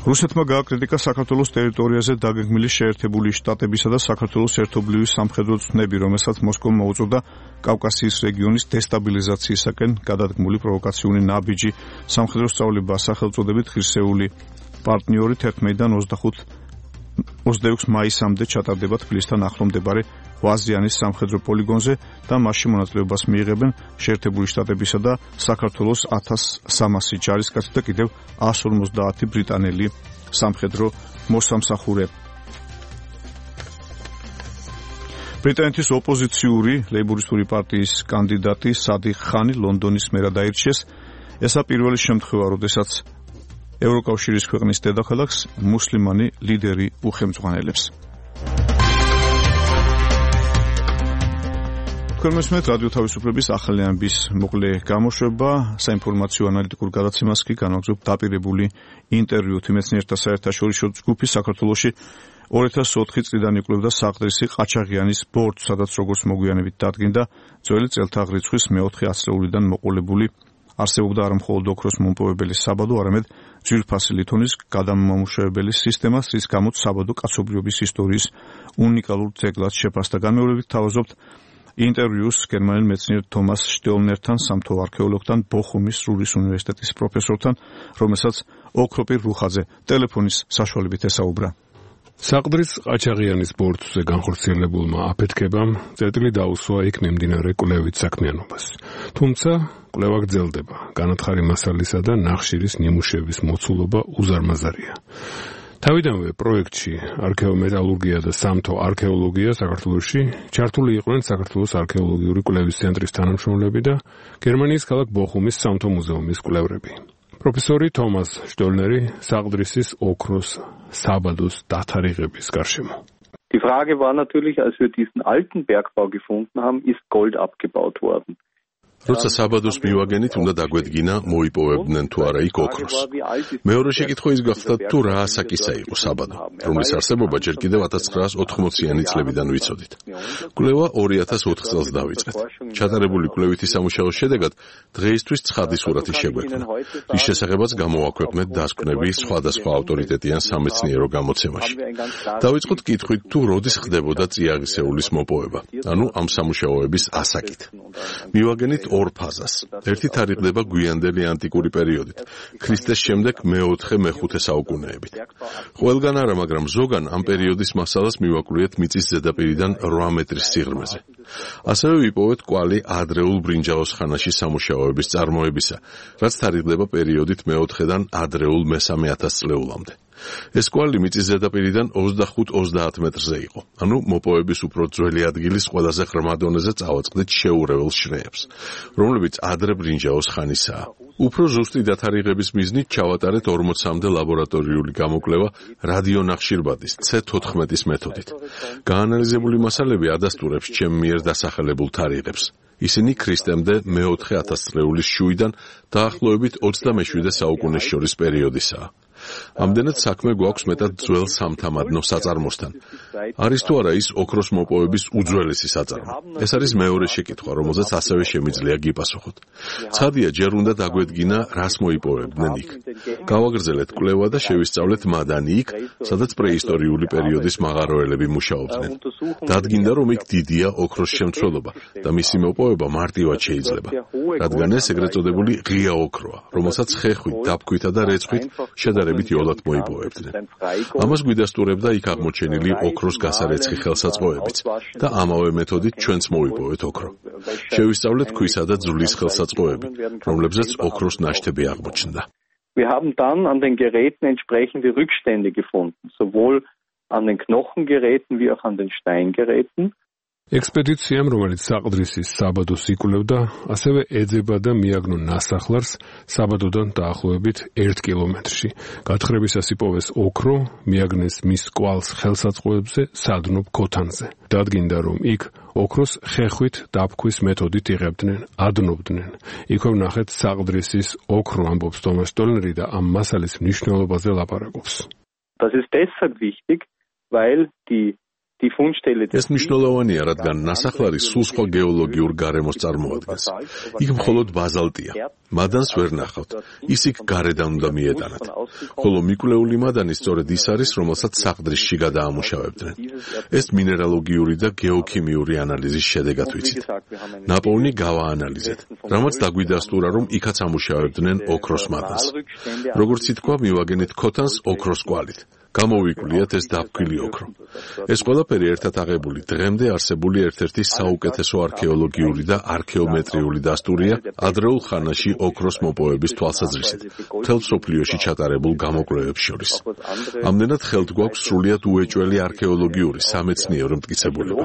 რუსეთმა გააკრიტიკა საქართველოს ტერიტორიაზე დაგეგმილი შეერთებული შტატებისა და საქართველოს ერთობლივი სამხედრო ცნები, რომელსაც მოსკოვმა მოუწოდა კავკასიის რეგიონის დესტაბილიზაციისაკენ გადადგმული პროვოკაციული ნაბიჯი. სამხედრო სწავლება სახელწოდებით ღირსეული პარტნიორით ერთმანეთიდან ოცდაექვსი მაისამდე ჩატარდება თბილისთან ახლო მდებარე ვაზიანის სამხედრო პოლიგონზე და მასში მონაწილეობას მიიღებენ შეერთებული შტატებისა და საქართველოს ათას სამასი ჯარისკაცი და კიდევ ათას ორმოცდაათი ბრიტანელი სამხედრო მოსამსახურე. ბრიტანეთის ოპოზიციური ლეიბორისტული პარტიის კანდიდატი სადიხ ხანი ლონდონის მერად აირჩიეს. ესა პირველი შემთხვევა, როდესაც ევროკავშირის ქვეყნის დედაქალაქს მუსლიმანი ლიდერი უხელმძღვანელებს. თქვენ მოსმენთ რადიო თავისუფლების ახალი ამბის მოკლე გამოშვება. საინფორმაციო ანალიტიკურ გადაცემას კი განაგრძობ დაპირებული ინტერვიუთ. მეცნიერთა საერთაშორისო ჯგუფი საქართველოში ორი ათას ოთხი წლიდან იკვლევდა საყდრისი ყაჩაღიანის ბორცვს, სადაც როგორც მოგვიანებით დადგინდა, ძველი წელთაღრიცხვის მეოთხე ათწლეულიდან მოყოლებული არსებობდა არა მხოლოდ ოქროს მომპოვებელი საბადო, არამედ ძვირფასი ლითონის გადამამუშავებელი სისტემა, რის გამოც საბადო კაცობრიობის ისტორიის უნიკალურ ძეგლად შეფასდა. განმეორებით თავაზობთ ინტერვიუს გერმანელ მეცნიერ თომას შტეულნერთან, სამთო არქეოლოგთან, ბოხუმის რურის უნივერსიტეტის პროფესორთან, რომელსაც ოქროპირ რუხაძე ტელეფონის საშუალებით ესაუბრა. საყდრის ყაჩაღიანის ბორცვზე განხორციელებულმა აფეთქებამ წერტილი დაუსვა იქ მიმდინარე კვლევით საქმიანობას. თუმცა კვლევა გრძელდება. განათხარი მასალისა და ნახშირის ნიმუშების მოცულობა უზარმაზარია. თავიდანვე პროექტში არქეომეტალურგია და სამთო არქეოლოგია საქართველოში ჩართული იყვნენ საქართველოს არქეოლოგიური კვლევის ცენტრის თანამშრომლები და გერმანიის ქალაქ ბოხუმის სამთო მუზეუმის კვლევრები. პროფესორი თომას შტოლნერი საყდრისის ოქროს საბადოს დათარიღების გარშემო. Die Frage war natürlich, als wir diesen alten Bergbau gefunden haben, ist Gold abgebaut worden. როცა საბადოს მივაგენით, უნდა დაგვედგინა მოიპოვებდნენ თუ არა იქ ოქროს. მეორე შეკითხვა ის გახდა, თუ რა ასაკისა იყო საბადო, რომლის არსებობა ჯერ კიდევ ათას ცხრაას ოთხმოციანი წლებიდან ვიცოდით. კვლევა ორი ათას ოთხ წელს დავიწყეთ. ჩატარებული კვლევითი სამუშაოს შედეგად დღეისთვის ცხადი სურათი შეგვექმნა, რის შესახებაც გამოვაქვეყნეთ დასკვნები სხვადასხვა ავტორიტეტიან სამეცნიერო გამოცემაში. დავიწყოთ კითხვით, თუ როდის ხდებოდა წიაღისეულის მოპოვება, ანუ ამ სამუშაოების ასაკით. მივაგენით ორ ფაზას. ერთი თარიღდება გვიანდელი ანტიკური პერიოდით, ქრისტეს შემდეგ მეოთხე მეხუთე საუკუნეებით. ყველგან არა, მაგრამ ზოგან ამ პერიოდის მასალას მივაკვლიეთ მიწის ზედაპირიდან რვა მეტრის სიღრმეზე. ასევე ვიპოვეთ კვალი ადრეულ ბრინჯაოს ხანაში სამუშაოების წარმოებისა, რაც თარიღდება პერიოდით მეოთხედან ადრეულ მესამე ათასწლეულამდე. ეს კვალი მიწის ზედაპირიდან ოცდახუთ ოცდაათ მეტრზე იყო, ანუ მოპოვების უფრო ძველი ადგილის ყველაზე ღრმა დონეზე წავაწყდით შეურეველს შრეებს, რომლებიც ადრე ბრინჯაოს ხანისაა. უფრო ზუსტი დათარიღების მიზნით ჩავატარეთ ორმოცამდე ლაბორატორიული გამოკვლევა რადიონახშირბადის ცე თოთხმეტის მეთოდით. გაანალიზებული მასალები ადასტურებს ჩემ მიერ დასახელებულ თარიღებს. ისინი ქრისტემდე მეოთხე ათასწლეულის შუიდან დაახლოებით ოცდამეშვიდე საუკუნეს შორის პერიოდისაა. ამდენად საქმე გვაქვს მეტად ძველ სამთამადნო საწარმოსთან. არის თუ არა ის ოქროს მოპოვების უძველესი საწარმო? ეს არის მეორე შეკითხვა, რომელზეც ასევე შემიძლია გიპასუხოთ. ცხადია, ჯერ უნდა დაგვედგინა, რას მოიპოვებდნენ იქ. გავაგრძელეთ კვლევა და შევისწავლეთ მადანი იქ, სადაც პრეისტორიული პერიოდის მაღაროელები მუშაობდნენ. დადგინდა, რომ იქ დიდია ოქროს შემცველობა და მისი მოპოვება მარტივად შეიძლება, რადგან ეს ეგრეთ წოდებული ღია ოქროა, რომელსაც ხეხვით, დაბქვითა და რეცხვით შედარებით იოლად მოიპოვებდნენ. ამას გვიდასტურებდა იქ აღმოჩენილი ოქროს გასარეცხი ხელსაწყოებიც და ამავე მეთოდით ჩვენც მოვიპოვეთ ოქრო. შევისწავლეთ ქვისა და ძვლის ხელსაწყოები, რომლებზეც ოქროს ნაშთები აღმოჩნდა. Wir haben dann an den Geräten entsprechende Rückstände gefunden, sowohl an den Knochengeräten wie auch an den Steingeräten. ექსპედიციამ, რომელიც საყდრისის საბადოს იკვლევდა, ასევე ეძება და მიაგნო ნასახლარს საბადოდან დაახლოებით ერთ კილომეტრში. გათხრებისას იპოვეს ოქრო, მიაგნეს მის კვალს ხელსაწყოებზე, სადნობ ქოთანზე. დადგინდა, რომ იქ ოქროს ხეხვით დაბქვის მეთოდით იღებდნენ, ადნობდნენ. იქვე ვნახეთ საყდრისის ოქრო, ამბობს თომას შტოლნერი და ამ მასალის მნიშვნელობაზე ლაპარაკობს. Das ist deshalb wichtig, weil die ეს მნიშვნელოვანია, რადგან ნასახლარი სულ სხვა გეოლოგიურ გარემოს წარმოადგენს. იქ მხოლოდ ბაზალტია. მადანს ვერ ნახავთ. ის იქ გარედან უნდა მიეტანათ. ხოლო მიკვლეული მადანი სწორედ ის არის, რომელსაც საყდრისში გადაამუშავებდნენ. ეს მინერალოგიური და გეოქიმიური ანალიზის შედეგად ვიცით. ნაპოვნი გავაანალიზეთ, რამაც დაგვიდასტურა, რომ იქაც ამუშავებდნენ ოქროს მადანს. როგორც ითქვა, მივაგენით ქოთანს ოქროს კვალით. გამოვიკვლიათ ეს დაბქვილი ოქრო. ეს ყველაფერი ერთად აღებული დღემდე არსებული ერთ-ერთი საუკეთესო არქეოლოგიური და არქეომეტრიული დასტურია ადრეულ ხანაში ოქროს მოპოვების თვალსაზრისით, მთელ მსოფლიოში ჩატარებულ გამოკვლევებს შორის. ამდენად ხელთ გვაქვს სრულიად უეჭველი არქეოლოგიური სამეცნიერო მტკიცებულება.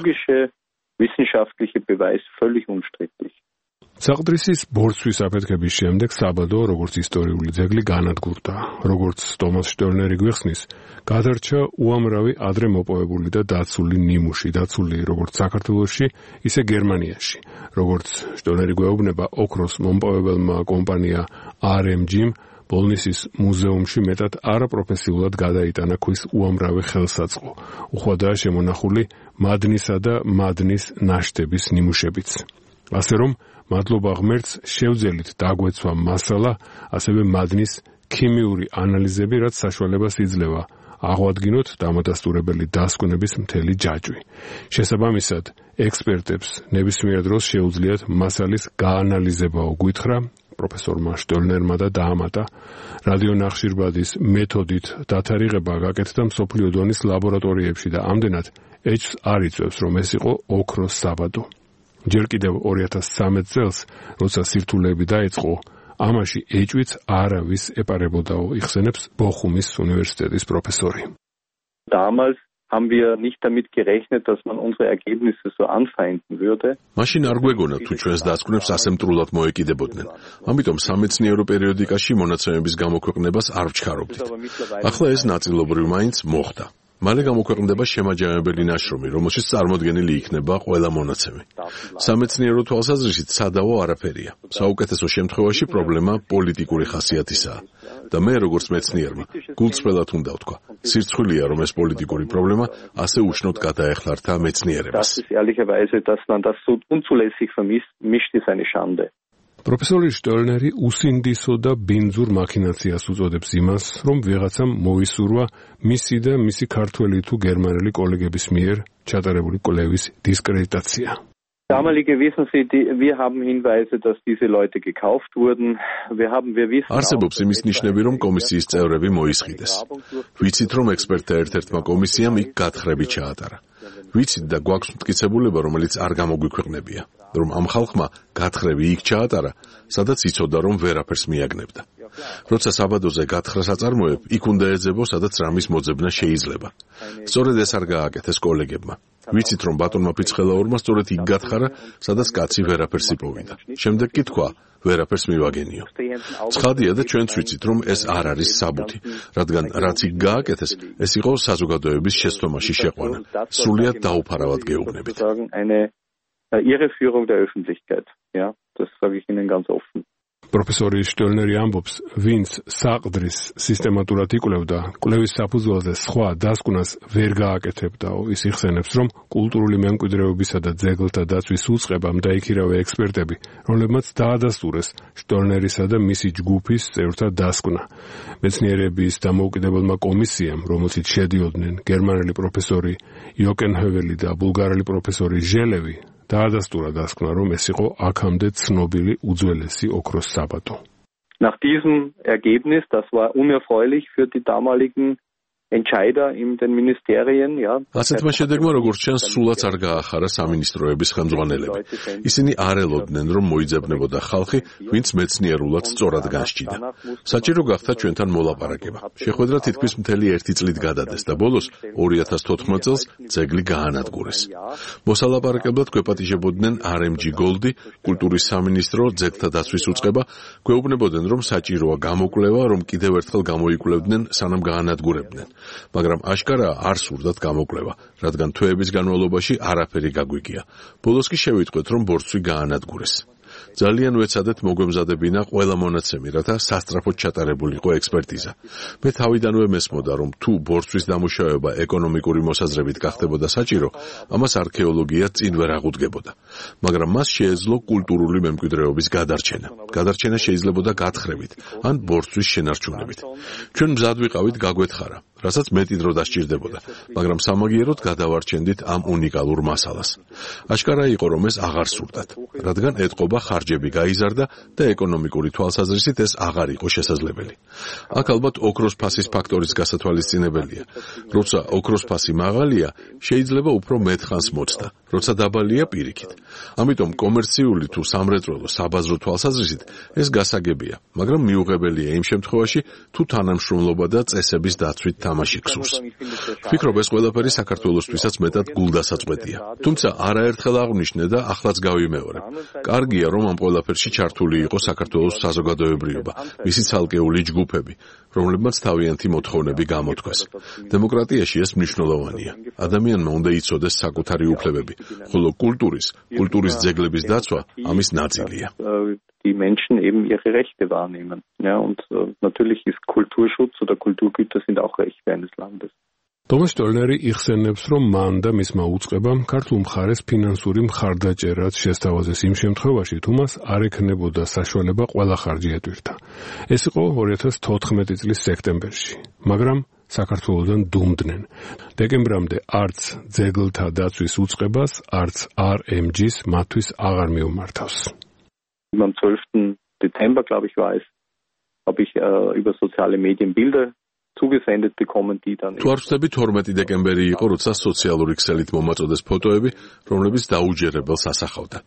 საყდრისის ბორცვის აფეთქების შემდეგ საბადო, როგორც ისტორიული ძეგლი, განადგურდა. როგორც თომას შტოლნერი გვიხსნის, გადარჩა უამრავი ადრე მოპოვებული და დაცული ნიმუში, დაცული როგორც საქართველოში, ისე გერმანიაში. როგორც შტოლნერი გვეუბნება, ოქროს მომპოვებელმა კომპანია არ ემ ჯი-მ ბოლნისის მუზეუმში მეტად არაპროფესიულად გადაიტანა ქვის უამრავი ხელსაწყო. უხვადაა შემონახული მადნისა და მადნის ნაშთების ნიმუშებიც. ასე რომ მადლობა ღმერთს შევძელით დაგვეცვა მასალა, ასევე მადნის ქიმიური ანალიზები, რაც საშუალებას იძლევა აღვადგინოთ დამადასტურებელი დასკვნების მთელი ჯაჭვი. შესაბამისად, ექსპერტებს ნებისმიერ დროს შეუძლიათ მასალის გაანალიზებაო გვითხრა პროფესორმა შტოლნერმა და დაამატა რადიონახშირბადის მეთოდით დათარიღება გაკეთდა მსოფლიო დონის ლაბორატორიებში და ამდენად ეჭვს არ იწვევს, რომ ეს იყო ოქროს საბადო. ჯერ კიდევ ორი ათას სამი წელს, როცა სირთულეები დაიწყო, ამაში ეჭვიც არავის ეპარებოდაო, იხსენებს ბოხუმის უნივერსიტეტის პროფესორი. Damals haben wir nicht damit gerechnet, dass man unsere Ergebnisse so anfeinden würde. მაშინ არ გვეგონა თუ ჩვენს დასკვნებს ასე მტრულად მოეკიდებოდნენ. ამიტომ სამეცნიერო პერიოდიკაში მონაცემების გამოქვეყნებას არ ვჩქარობდით. ახლა ეს ნაწილობრივ მაინც მოხდა. მალე გამოქვეყნდება შემაჯამებელი ნაშრომი, რომელშიც წარმოდგენილი იქნება ყველა მონაცემი. სამეცნიერო თვალსაზრისით სადავო არაფერია. საუკეთესო შემთხვევაში პრობლემა პოლიტიკური ხასიათისაა. და მე როგორც მეცნიერმა, გულწრფელად უნდა ვთქვა, სირცხვილია, რომ ეს პოლიტიკური პრობლემა ასე უშნოდ გადაეხლართა მეცნიერებას. პროფესორი შტოლნერი უსინდისო და ბინძურ მაქინაციას უწოდებს იმას, რომ ვიღაცამ მოისურვა მისი და მისი ქართველი თუ გერმანელი კოლეგების მიერ ჩატარებული კვლევის დისკრედიტაცია. Damalige wissen Sie, die, wir haben Hinweise, dass diese Leute gekauft wurden. Wir haben, wir wissen არსებობს იმის ნიშნები, რომ კომისიის წევრები მოისყიდეს. ვიცით, რომ ექსპერტთა ერთ-ერთმა კომისიამ იქ გათხრები ჩაატარა. ვიცით და გვაქვს მტკიცებულება, რომელიც არ გამოგვიქვეყნებია, რომ ამ ხალხმა გათხრები იქ ჩაატარა, სადაც იცოდა, რომ ვერაფერს მიაგნებდა. როცა საბადოზე გათხრას აწარმოებ, იქ უნდა ეძებო, სადაც რამის მოძებნა შეიძლება. სწორედ ეს არ გააკეთეს კოლეგებმა. ვიცით, რომ ბატონმა ფიცხელაურმა სწორედ იქ გათხარა, სადაც კაცი ვერაფერს იპოვიდა. შემდეგ კი თქვა, ვერაფერს მივაგენიო. ცხადია და ჩვენც ვიცით, რომ ეს არ არის საბუთი, რადგან რაც იქ გააკეთეს, ეს იყო საზოგადოების შეცდომაში შეყვანა. სრულიად დაუფარავად გეუბნებით. Irreführung der Öffentlichkeit. Ja, das sage ich Ihnen ganz offen. პროფესორი შტელნერი ამბობს, ვინც საყდრის სისტემატურად იკვლევდა, კვლევის საფუძველზე სხვა დასკვნას ვერ გააკეთებდაო. ის იხსენებს, რომ კულტურული მემკვიდრეობისა და ძეგლთა დაცვის უწყებამ დაიქირავა ექსპერტები, რომლებმაც დაადასტურეს შტელნერისა და მისი ჯგუფის წევრთა დასკვნა. მეცნიერების დამოუკიდებელმა კომისიამ, რომელშიც შედიოდნენ გერმანელი პროფესორი იოკენჰოველი და ბულგარელი პროფესორი ჟელევი, დაადასტურა დასკვნა, რომ ეს იყო აქამდე ცნობილი უძველესი ოქროს საბადო. Nach diesem Ergebnis, das war unerfreulich für die damaligen Entscheider in den Ministerien, ja. ასეთმა შედეგმა როგორც ჩანს, სულაც არ გაახარა სამინისტროების ხელმძღვანელები. ისინი არ ელოდნენ, რომ მოიძებნებოდა ხალხი, ვინც მეცნიერულად სწორად განსჭიდა. საჭირო გახდა ჩვენთან მოლაპარაკება. შეხვედრა თითქმის მთელი ერთი წლით გადადეს და ბოლოს ორი ათას თოთხმეტ წელს ძეგლი გაანადგურეს. მოსალაპარაკებლად გვეპატიჟებოდნენ არ ემ ჯი Goldi, კულტურის სამინისტრო, ძეგლთა დაცვის უწყება, გვეუბნებოდნენ, რომ საჭიროა გამოკვლევა, რომ კიდევ ერთხელ გამოიკვლევდნენ, სანამ გაანადგურებდნენ. მაგრამ აშკარაა არ სურდათ გამოკვლევა, რადგან თვეების განმავლობაში არაფერი გაგვიგია. ბოლოს კი შევიტყვეთ, რომ ბორცვი გაანადგურეს. ძალიან ვეცადეთ მოგვემზადებინა ყველა მონაცემი, რათა სასწრაფოდ ჩატარებულიყო ექსპერტიზა. მე თავიდანვე მესმოდა, რომ თუ ბორცვის დამუშავება ეკონომიკური მოსაზრებით გახდებოდა საჭირო, ამას არქეოლოგია წინ ვერ აღუდგებოდა. მაგრამ მას შეეძლო კულტურული მემკვიდრეობის გადარჩენა. გადარჩენა შეიძლებოდა გათხრებით ან ბორცვის შენარჩუნებით. ჩვენ მზად ვიყავით გაგვეთხარა, რასაც მეტი დრო დასჭირდებოდა, მაგრამ სამაგიეროდ გადავარჩენდით ამ უნიკალურ მასალას. აშკარა იყო, რომ ეს აღარ სურდათ, რადგან ეტყობა ხარჯები გაიზარდა და ეკონომიკური თვალსაზრისით ეს აღარ იყო შესაძლებელი. აქ ალბათ ოქროს ფასის ფაქტორის გასათვალისწინებელია. როცა ოქროს ფასი მაღალია, შეიძლება უფრო მეტ ხანს მოწდა, როცა დაბალია პირიქით. ამიტომ კომერციული თუ სამრეწველო საბაზრო თვალსაზრისით ეს გასაგებია, მაგრამ მიუღებელია იმ შემთხვევაში, თუ თანამშრომლობა და წესების დაცვით თამაში გსურს. ვფიქრობ, ეს ყველაფერი საქართველოსთვისაც მეტად გულდასაწყვეტია. თუმცა არაერთხელ აღვნიშნე და ახლაც გავიმეორებ. კარგია, რომ ამ ყველაფერში ჩართული იყო საქართველოს საზოგადოებრიობა, მისი ცალკეული ჯგუფები, რომლებმაც თავიანთი მოთხოვნები გამოთქვეს. დემოკრატიაში ეს მნიშვნელოვანია. ადამიანმა უნდა იცოდეს საკუთარი უფლებები, ხოლო კულტურის, კულტურის ძეგლების დაცვა ამის ნაწილია. Die Menschen eben ihre Rechte wahrnehmen. Ja, und äh, natürlich ist Kulturschutz oder Kulturgüter sind auch Rechte eines Landes. თომას შტელნერი იხსენებს, რომ მან და მისმა უწყებამ ქართულ მხარეს ფინანსური მხარდაჭერაც შესთავაზეს იმ შემთხვევაში, თუ მას არ ექნებოდა საშუალება ყველა ხარჯი ეტვირთა. ეს იყო ორი ათას თოთხმეტი წლის სექტემბერში, მაგრამ საქართველოსთან დუმდნენ. დეკემბრამდე არც ძეგლთა დაცვის უწყებას, არც არ ემ ჯი-ს მათთვის აღარ მიუმართავს. Am zwölften Dezember, glaube ich, war es, habe ich äh, über soziale Medien Bilder zugesendet bekommen, die dann... თუ არ ვცდები, თორმეტი დეკემბერი იყო, როცა სოციალური ქსელით მომაწოდეს ფოტოები, რომლებიც დაუჯერებელს ასახავდა.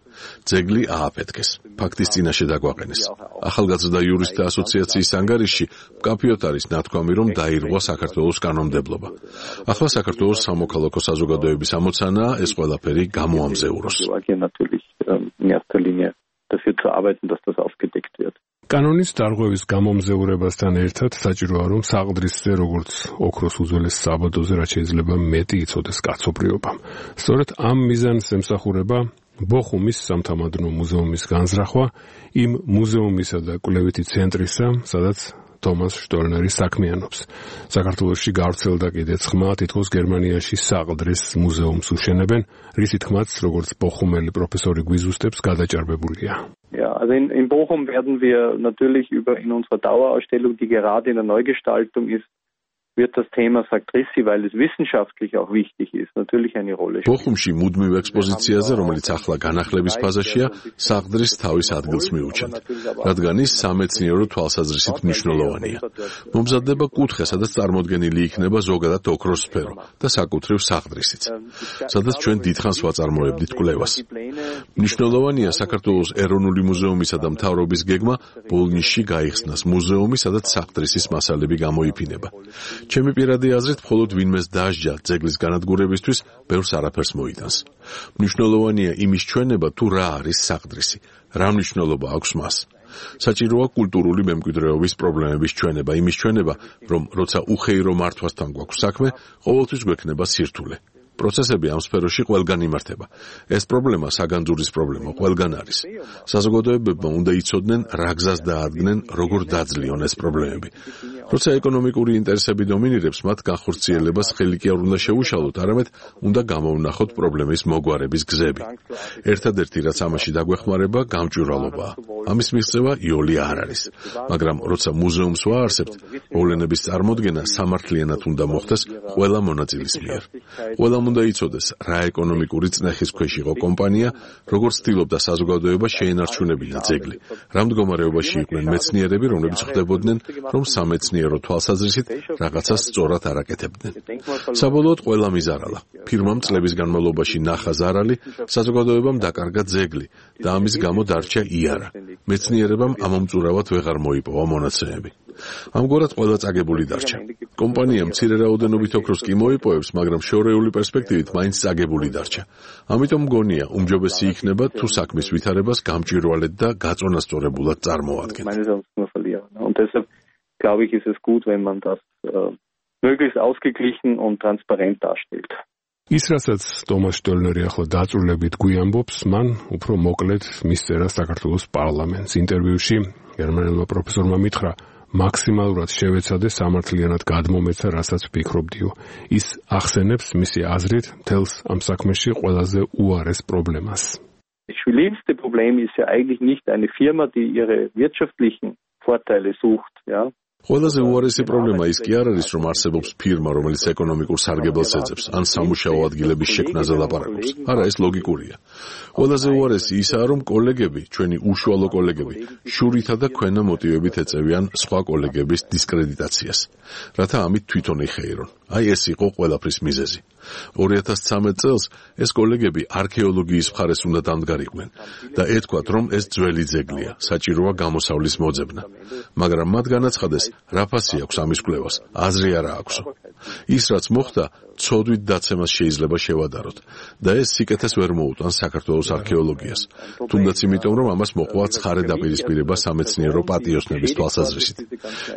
ძეგლი ააფეთქეს, ფაქტის წინაშე დაგვაყენეს. ახალგაზრდა იურისტთა ასოციაციის ანგარიშში მკაფიოდ არის ნათქვამი, რომ დაირღვა საქართველოს კანონმდებლობა. ახლა საქართველოს სამოქალაქო საზოგადოების ამოცანაა ეს ყველაფერი გამოამზეუროს. dafür zu arbeiten, dass das aufgedeckt wird. კანონის დარღვევის გამომზეურებასთან ერთად საჭიროა, რომ საყდრისზე, როგორც ოქროს უძველეს საბადოზე, რაც შეიძლება მეტი იცოდეს კაცობრიობამ. სწორედ ამ მიზანს ემსახურება ბოხუმის სამთამადნო მუზეუმის განზრახვა, იმ მუზეუმისა და კვლევითი ცენტრისა, სადაც თომას შტელნერი საქმიანობს. საქართველოში გავრცელდა კიდეც ხმა, თითქოს გერმანიაში საყდრის მუზეუმს უშენებენ, რისი თქმაც, როგორც ბოხუმელი პროფესორი გვიზუსტებს, გადაჭარბებულია. Ja, also in, in Bochum werden wir natürlich über in unserer Dauerausstellung, die gerade in der Neugestaltung ist, wird das Thema Saktrissi, weil es wissenschaftlich auch wichtig ist, natürlich eine Rolle spielen. ბოხუმში მუდმივ ექსპოზიციაზე, რომელიც ახლა განახლების ფაზაშია, საყდრის თავის ადგილს მიუჩენთ, რადგან ის სამეცნიერო თვალსაზრისით მნიშვნელოვანია. მომზადდება კუთხე, სადაც წარმოდგენილი იქნება ზოგადად ოქროს სფერო და საკუთრივ საყდრისიც, სადაც ჩვენ დიდხანს ვაწარმოებდით კვლევას. მნიშვნელოვანია საქართველოს ეროვნული მუზეუმისა და მთავრობის გეგმა ბოლნისში გაიხსნას მუზეუმი, სადაც საყდრისის მასალები გამოიფინება. ჩემი პირადი აზრით, მხოლოდ ვინმეს დაასჯა ძეგლის განადგურებისთვის, ბევრს არაფერს მოიტანს. მნიშვნელოვანია იმის ჩვენება, თუ რა არის საყდრისი, რა მნიშვნელობა აქვს მას. საჭიროა კულტურული მემკვიდრეობის პრობლემების ჩვენება, იმის ჩვენება, რომ როცა უხეირო მართვასთან გვაქვს საქმე, ყოველთვის გვექნება სირთულე. პროცესები ამ სფეროში ყველგან იმართება. ეს პრობლემა საგანძურის პრობლემა ყველგან არის. საზოგადოებებმა უნდა იცოდნენ, რა გზას დაადგნენ, როგორ დაძლიონ ეს პრობლემები. როცა ეკონომიკური ინტერესები დომინირებს, მათ განხორციელებას ხელი კი არ უნდა შეუშალოთ, არამედ უნდა გამოვნახოთ პრობლემის მოგვარების გზები. ერთადერთი რაც ამაში დაგვეხმარება, გამჭვირვალობაა. ამის მიღწევა იოლი არ არის. მაგრამ როცა მუზეუმს ვაარსებთ, მოვლენების წარმოდგენა სამართლიანად უნდა მოხდეს ყველა მონაწილის მიერ. ყველამ უნდა იცოდეს, რა ეკონომიკური წნეხის ქვეშ იყო კომპანია, როგორც ცდილობდა საზოგადოება შეენარჩუნებინა ძეგლი. რა მდგომარეობაში იყვნენ მეცნიერები, რომლებიც ხვდებოდნენ, რომ სამეცნიერო თვალსაზრისით რაღაცას სწორად არ აკეთებდნენ. საბოლოოდ ყველა მიზარალა. ფირმამ წლების განმავლობაში ნახა ზარალი, საზოგადოებამ დაკარგა ძეგლი და ამის გამო დარჩა იარა. მეცნიერებამ ამომწურავად ვეღარ მოიპოვა მონაცემები. ამგვარად ყველა წაგებული დარჩა. კომპანია მცირე რაოდენობით ოქროს კი მოიპოვებს, მაგრამ შორეული პერსპექტივით მაინც წაგებული დარჩა. ამიტომ მგონია, უმჯობესი იქნება თუ საქმის ვითარებას გამჭვირვალედ და გაწონასწორებულად წარმოადგენთ. Und deshalb glaube ich, ist es gut, wenn man das äh, möglichst ausgeglichen und transparent darstellt. ის რასაც ტომას შტოლნერი ახლა დაწვრილებით გვიამბობს, მან უფრო მოკლედ მისწერა საქართველოს პარლამენტს. ინტერვიუში გერმანელმა პროფესორმა მითხრა, მაქსიმალურად შევეცადე სამართლიანად გადმომეცა, რასაც ვფიქრობდიო. ის ახსენებს მისი აზრით მთელს ამ საქმეში ყველაზე უარეს პრობლემას. Das schlimmste Problem ist ja eigentlich nicht eine Firma, die ihre wirtschaftlichen Vorteile sucht, ja. ყველაზე უარესი პრობლემა ის კი არ არის, რომ არსებობს ფირმა, რომელიც ეკონომიკურ სარგებელს ეძებს, ან სამუშაო ადგილების შექმნაზე ლაპარაკობს. არა, ეს ლოგიკურია. ყველაზე უარესი ისაა, რომ კოლეგები, ჩვენი უშუალო კოლეგები, შურითა და ქვენა მოტივებით ეწევიან სხვა კოლეგების დისკრედიტაციას, რათა ამით თვითონ იხეირონ. აი ეს იყო ყველაფრის მიზეზი. ორი ათას ცხრამეტ წელს ეს კოლეგები არქეოლოგიის მხარეს უნდა დამდგარიყვნენ და ეთქვათ, რომ ეს ძველი ძეგლია, საჭიროა გამოსავლის მოძებნა. მაგრამ მათ განაცხადეს, რა ფასი აქვს ამის კვლევას, აზრი არა აქვსო. ის რაც მოხდა, ცოდვით დაცემას შეიძლება შევადაროთ და ეს სიკეთეს ვერ მოუტანს საქართველოს არქეოლოგიას. თუნდაც იმიტომ, რომ ამას მოყვა ცხარე დაპირისპირება სამეცნიერო პატიოსნების თვალსაზრისით.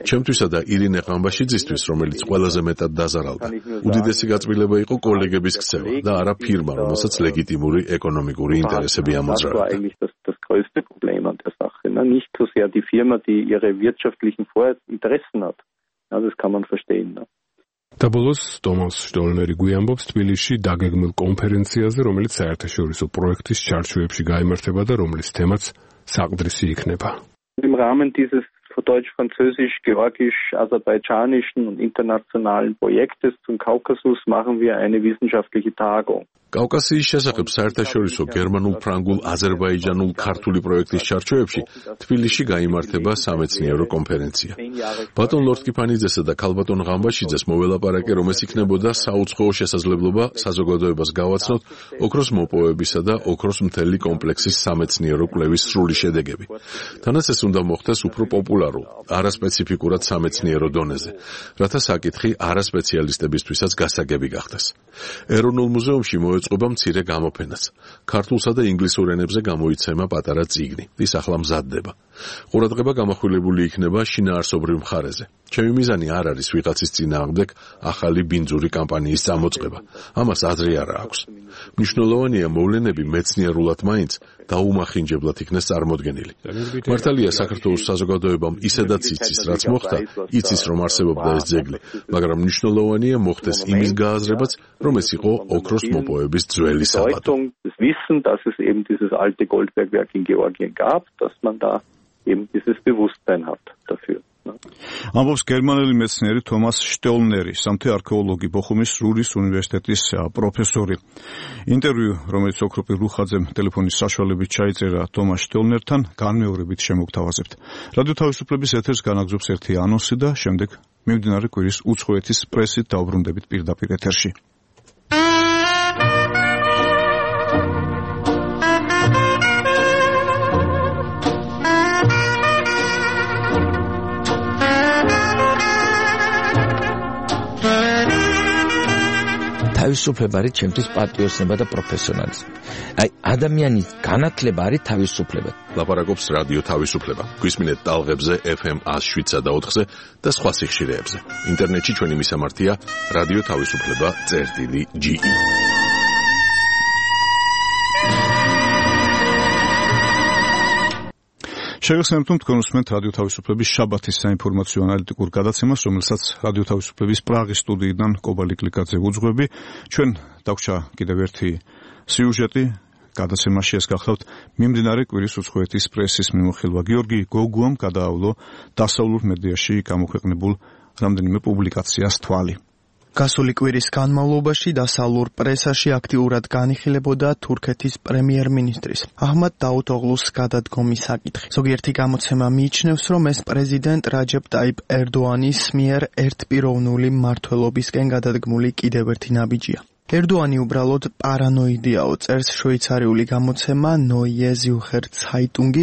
ჩემთვისა და ირინე ყამბაშიძისთვის, რომელიც ყველაზე მეტად დაზარალდა, უდიდესი გაწმილება იყო კოლეგების ქცევა და არა ფირმა, რომელსაც ლეგიტიმური ეკონომიკური ინტერესები ამოძრავებდა. Das größte Problem an der Sache, ne? Nicht so sehr die Firma, die ihre wirtschaftlichen Interessen hat. Ja, das kann man verstehen. Ne? და ბოლოს ტომას შტოლნერი გვიამბობს თბილისში დაგეგმილ კონფერენციაზე, რომელიც საერთაშორისო პროექტის ჩარჩოებში გაიმართება და რომლის თემაც საყდრისი იქნება. Im Rahmen dieses deutsch-französisch-georgisch-aserbaidschanischen und internationalen Projektes zum Kaukasus machen wir eine wissenschaftliche Tagung. კავკასიის შესახებ საერთაშორისო გერმანულ-ფრანგულ, აზერბაიჯანულ, ქართული პროექტის ჩარჩოებში თბილისში გაიმართება სამეცნიერო კონფერენცია. ბატონ ლორთქიფანიძესა და ქალბატონ ღამბაშიძეს მოველაპარაკე, რომ ეს იქნებოდა საუცხოო შესაძლებლობა საზოგადოებას გავაცნოთ ოქროს მოპოვებისა და ოქროს მთელი კომპლექსის სამეცნიერო კვლევის სრული შედეგები. თანაც ეს უნდა მოხდეს უფრო პოპულარულ, არასპეციფიკურად სამეცნიერო დონეზე, რათა საკითხი არასპეციალისტებისთვისაც გასაგები გახდეს. ეროვნულ მუზეუმში მოეწყობა მცირე გამოფენაც. ქართულსა და ინგლისურ ენებზე გამოიცემა პატარა წიგნი. ის ახლა მზადდება. ყურადღება გამახვილებული იქნება შინაარსობრივ მხარეზე. ჩემი მიზანი არ არის ვიღაცის წინააღმდეგ ახალი ბინძური კამპანიის წამოწყება. ამას აზრი არა აქვს. მნიშვნელოვანია მოვლენები მეცნიერულად მაინც დაუმახინჯებლად იქნეს წარმოდგენილი. მართალია საქართველოს საზოგადოებამ ისედაც იცის, რაც მოხდა, იცის, რომ არსებობდა ეს ძეგლი, მაგრამ მნიშვნელოვანია მოხდეს იმის გააზრებაც, რომ ეს იყო ოქროს მოპოვების ძველი საბადო. Das Wissen, dass es eben dieses alte Goldbergwerk in Georgien gab, dass man da eben dieses Bewusstsein hat dafür. ამბობს გერმანელი მეცნიერი თომას შტოლნერი, სამთე არქეოლოგი, ბოხუმის რურის უნივერსიტეტის პროფესორი. ინტერვიუ, რომელიც ოქროპი რუხაძემ ტელეფონის საშუალებით ჩაიწერა თომას შტოლნერთან, განმეორებით შემოგთავაზებთ. რადიო თავისუფლების ეთერს განაგზობს ერთი ანონსი და შემდეგ მიმდინარე კვირის უცხოეთის პრესით დაუბრუნდებით პირდაპირ ეთერში. თავისუფლება არის ჩემთვის პატიოსნება და პროფესიონალიზმი. აი, ადამიანის განათლება არის თავისუფლება. ლაპარაკობს რადიო თავისუფლება. გვისმინეთ ტალღებზე ეფ ემ ათს შვიდსა და ოთხზე და სხვა სიხშირეებზე. ინტერნეტში ჩვენი მისამართია რადიო თავისუფლება წერტილი ჯი ი. შეგახსენებთ, რომ თქვენ უსმენთ რადიო თავისუფლების შაბათის საინფორმაციო ანალიტიკურ გადაცემას, რომელსაც რადიო თავისუფლების პრაღის სტუდიიდან კობალი კლიკაძე უძღვები. ჩვენ დაგვჭა კიდევ ერთი სიუჟეტი გადაცემაში, ეს გახლავთ მიმდინარე კვირის უცხოეთის პრესის მიმოხილვა. გიორგი გოგუამ გადაავლო დასავლურ მედიაში გამოქვეყნებულ რამდენიმე პუბლიკაციას თვალი. გასული კვირის განმავლობაში დასავლურ პრესაში აქტიურად განიხილებოდა თურქეთის პრემიერ-მინისტრის აჰმად დაუთოღლუს გადადგომის საკითხი. ზოგიერთი გამოცემა მიიჩნევს, რომ ეს პრეზიდენტ რაჯებ ტაიპ ერდოანის მიერ ერთპიროვნული მმართველობისკენ გადადგმული კიდევ ერთი ნაბიჯია. ერდოანი უბრალოდ პარანოიდიაო, წერს შვეიცარიული გამოცემა Neue Zürcher Zeitung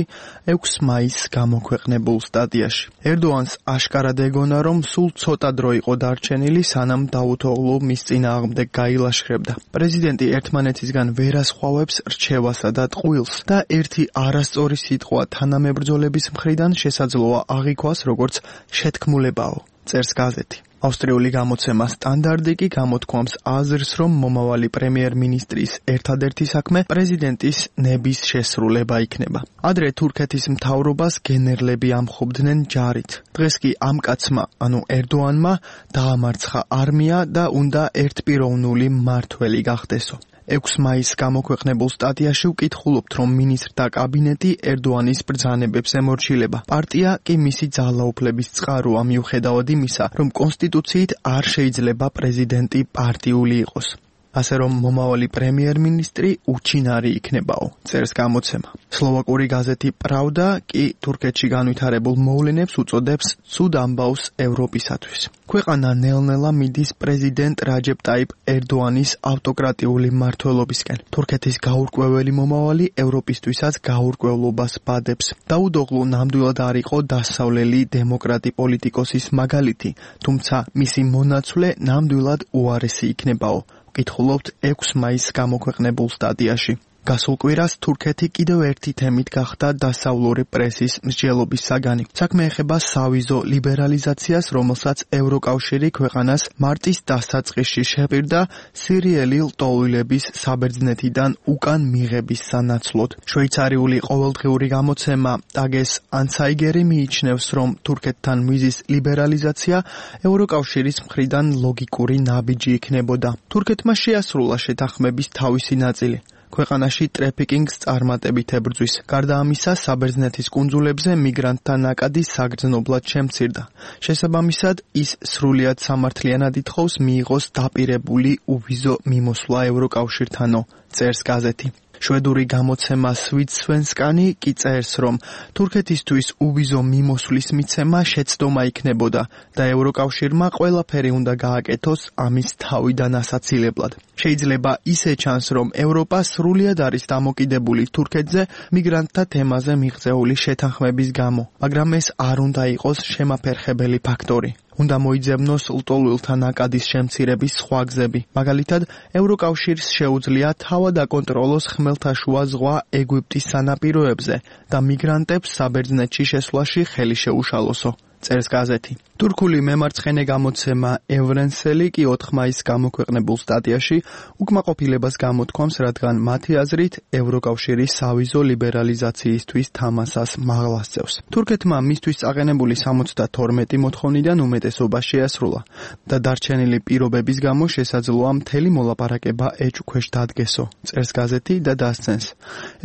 ექვსი მაისს გამოქვეყნებულ სტატიაში. ერდოანს აშკარად ეგონა, რომ სულ ცოტა დრო იყო დარჩენილი, სანამ დაუთოღლუ მის წინააღმდეგ გაილაშქრებდა. პრეზიდენტი ერთმანეთისგან ვერასხვავებს რჩევასა და ტყუილს და ერთი არასწორი სიტყვა თანამებრძოლების მხრიდან შესაძლოა აღიქვას როგორც შეთქმულებაო, წერს გაზეთი. ავსტრიული გამოცემა სტანდარტი კი გამოთქვამს აზრს, რომ მომავალი პრემიერ-მინისტრის ერთადერთი საქმე პრეზიდენტის ნების შესრულება იქნება. ადრე თურქეთის მთავრობას გენერლები ამხობდნენ ჯარით. დღეს კი ამ კაცმა, ანუ ერდოანმა, დაამარცხა არმია და უნდა ერთპიროვნული მმართველი გახდესო. ექვსი მაისს გამოქვეყნებულ სტატიაში ვკითხულობთ, რომ მინისტრთა კაბინეტი ერდოანის ბრძანებებს ემორჩილება. პარტია კი მისი ძალაუფლების წყაროა, მიუხედავად იმისა, რომ კონსტიტუციით არ შეიძლება პრეზიდენტი პარტიული იყოს. ასე რომ მომავალი პრემიერ-მინისტრი უჩინარი იქნებაო, წერს გამოცემა. სლოვაკური გაზეთი პრავდა კი თურქეთში განვითარებულ მოვლენებს უწოდებს ცუდ ამბავს ევროპისათვის. ქვეყანა ნელ-ნელა მიდის პრეზიდენტ რაჯებ ტაიპ ერდოანის ავტოკრატიული მმართველობისკენ. თურქეთის გაურკვეველი მომავალი ევროპისთვისაც გაურკვევლობას ბადებს. დაუდოღლუ ნამდვილად არ იყო დასავლელი დემოკრატი პოლიტიკოსის მაგალითი, თუმცა მისი მონაცვლე ნამდვილად უარესი იქნებაო. ვკითხულობთ ექვსი მაისს გამოქვეყნებულ სტატიაში. გასულ კვირას თურქეთი კიდევ ერთი თემით გახდა დასავლური პრესის მსჯელობის საგანი. საქმე ეხება სავიზო ლიბერალიზაციას, რომელსაც ევროკავშირი ქვეყანას მარტის დასაწყისში შეპირდა სირიელი ლტოლვილების საბერძნეთიდან უკან მიღების სანაცვლოდ. შვეიცარიული ყოველდღიური გამოცემა ტაგეს ანცაიგერი მიიჩნევს, რომ თურქეთთან ვიზის ლიბერალიზაცია ევროკავშირის მხრიდან ლოგიკური ნაბიჯი იქნებოდა. თურქეთმა შეასრულა შეთანხმების თავისი ნაწილი. ქვეყანაში ტრეფიკინგს წარმატებით ებრძვის. გარდა ამისა, საბერძნეთის კუნძულებზე მიგრანტთა ნაკადი საგრძნობლად შემცირდა. შესაბამისად, ის სრულიად სამართლიანად ითხოვს მიიღოს დაპირებული უვიზო მიმოსვლა ევროკავშირთანო, წერს გაზეთი. შვედური გამოცემა სვიდსვენსკანი კი წერს, რომ თურქეთისთვის უვიზო მიმოსვლის მიცემა შეცდომა იქნებოდა და ევროკავშირმა ყველაფერი უნდა გააკეთოს ამის თავიდან ასაცილებლად. შეიძლება ისე ჩანს, რომ ევროპა სრულიად არის დამოკიდებული თურქეთზე მიგრანტთა თემაზე მიღწეული შეთანხმების გამო, მაგრამ ეს არ უნდა იყოს შემაფერხებელი ფაქტორი. უნდა მოიძებნოს ლტოლვილთა ნაკადის შემცირების სხვა გზები. მაგალითად, ევროკავშირს შეუძლია თავად აკონტროლოს ხმელთაშუა ზღვა ეგვიპტის სანაპიროებზე და მიგრანტებს საბერძნეთში შესვლაში ხელი შეუშალოსო, წერს გაზეთი. თურქული მემარცხენე გამოცემა ევრენსელი კი ოთხი მაისს გამოქვეყნებულ სტატიაში უკმაყოფილებას გამოთქვამს, რადგან მათი აზრით ევროკავშირი სავიზო ლიბერალიზაციისთვის თამასას მაღლასწევს. თურქეთმა მისთვის წაყენებული სამოცდათორმეტი მოთხოვნიდან უმეტესობა შეასრულა და დარჩენილი პირობების გამო შესაძლოა მთელი მოლაპარაკება ეჭვქვეშ დადგესო, წერს გაზეთი და დასცენს.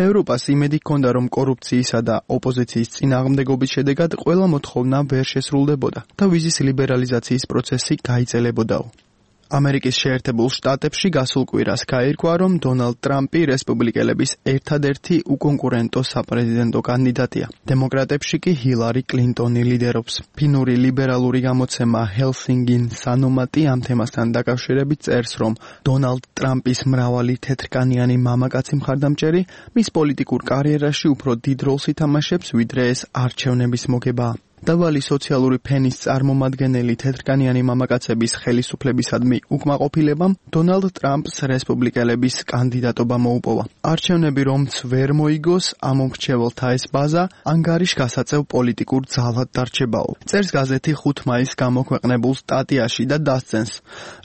ევროპას იმედი ჰქონდა, რომ კორუფციისა და ოპოზიციის წინააღმდეგობის შედეგად ყველა მოთხოვნა ვერ შესრულდებოდა და ვიზის ლიბერალიზაციის პროცესი გაიწელებოდაო. ამერიკის შეერთებულ შტატებში გასულ კვირას გაირკვა, რომ დონალდ ტრამპი რესპუბლიკელების ერთადერთი უკონკურენტო საპრეზიდენტო კანდიდატია. დემოკრატებში კი ჰილარი კლინტონი ლიდერობს. ფინური ლიბერალური გამოცემა ჰელსინგინ სანომატი ამ თემასთან დაკავშირებით წერს, რომ დონალდ ტრამპის მრავალი თეთრკანიანი მამაკაცი მხარდამჭერი მის პოლიტიკურ კარიერაში უფრო დიდ როლს ითამაშებს, ვიდრე ეს არჩევნების მოგებაა. დაბალი სოციალური ფენის წარმომადგენელი თეთრკანიანი მამაკაცების ხელისუფლებისადმი უკმაყოფილებამ დონალდ ტრამპს რესპუბლიკელების კანდიდატობა მოუპოვა. არჩევნები რომც ვერ მოიგოს, ამ მრჩეველთა ეს ბაზა ანგარიშ გასაწევ პოლიტიკურ ძალად დარჩებაო. წერს გაზეთი ხუთ მაისს გამოქვეყნებულ სტატიაში და დასცენს.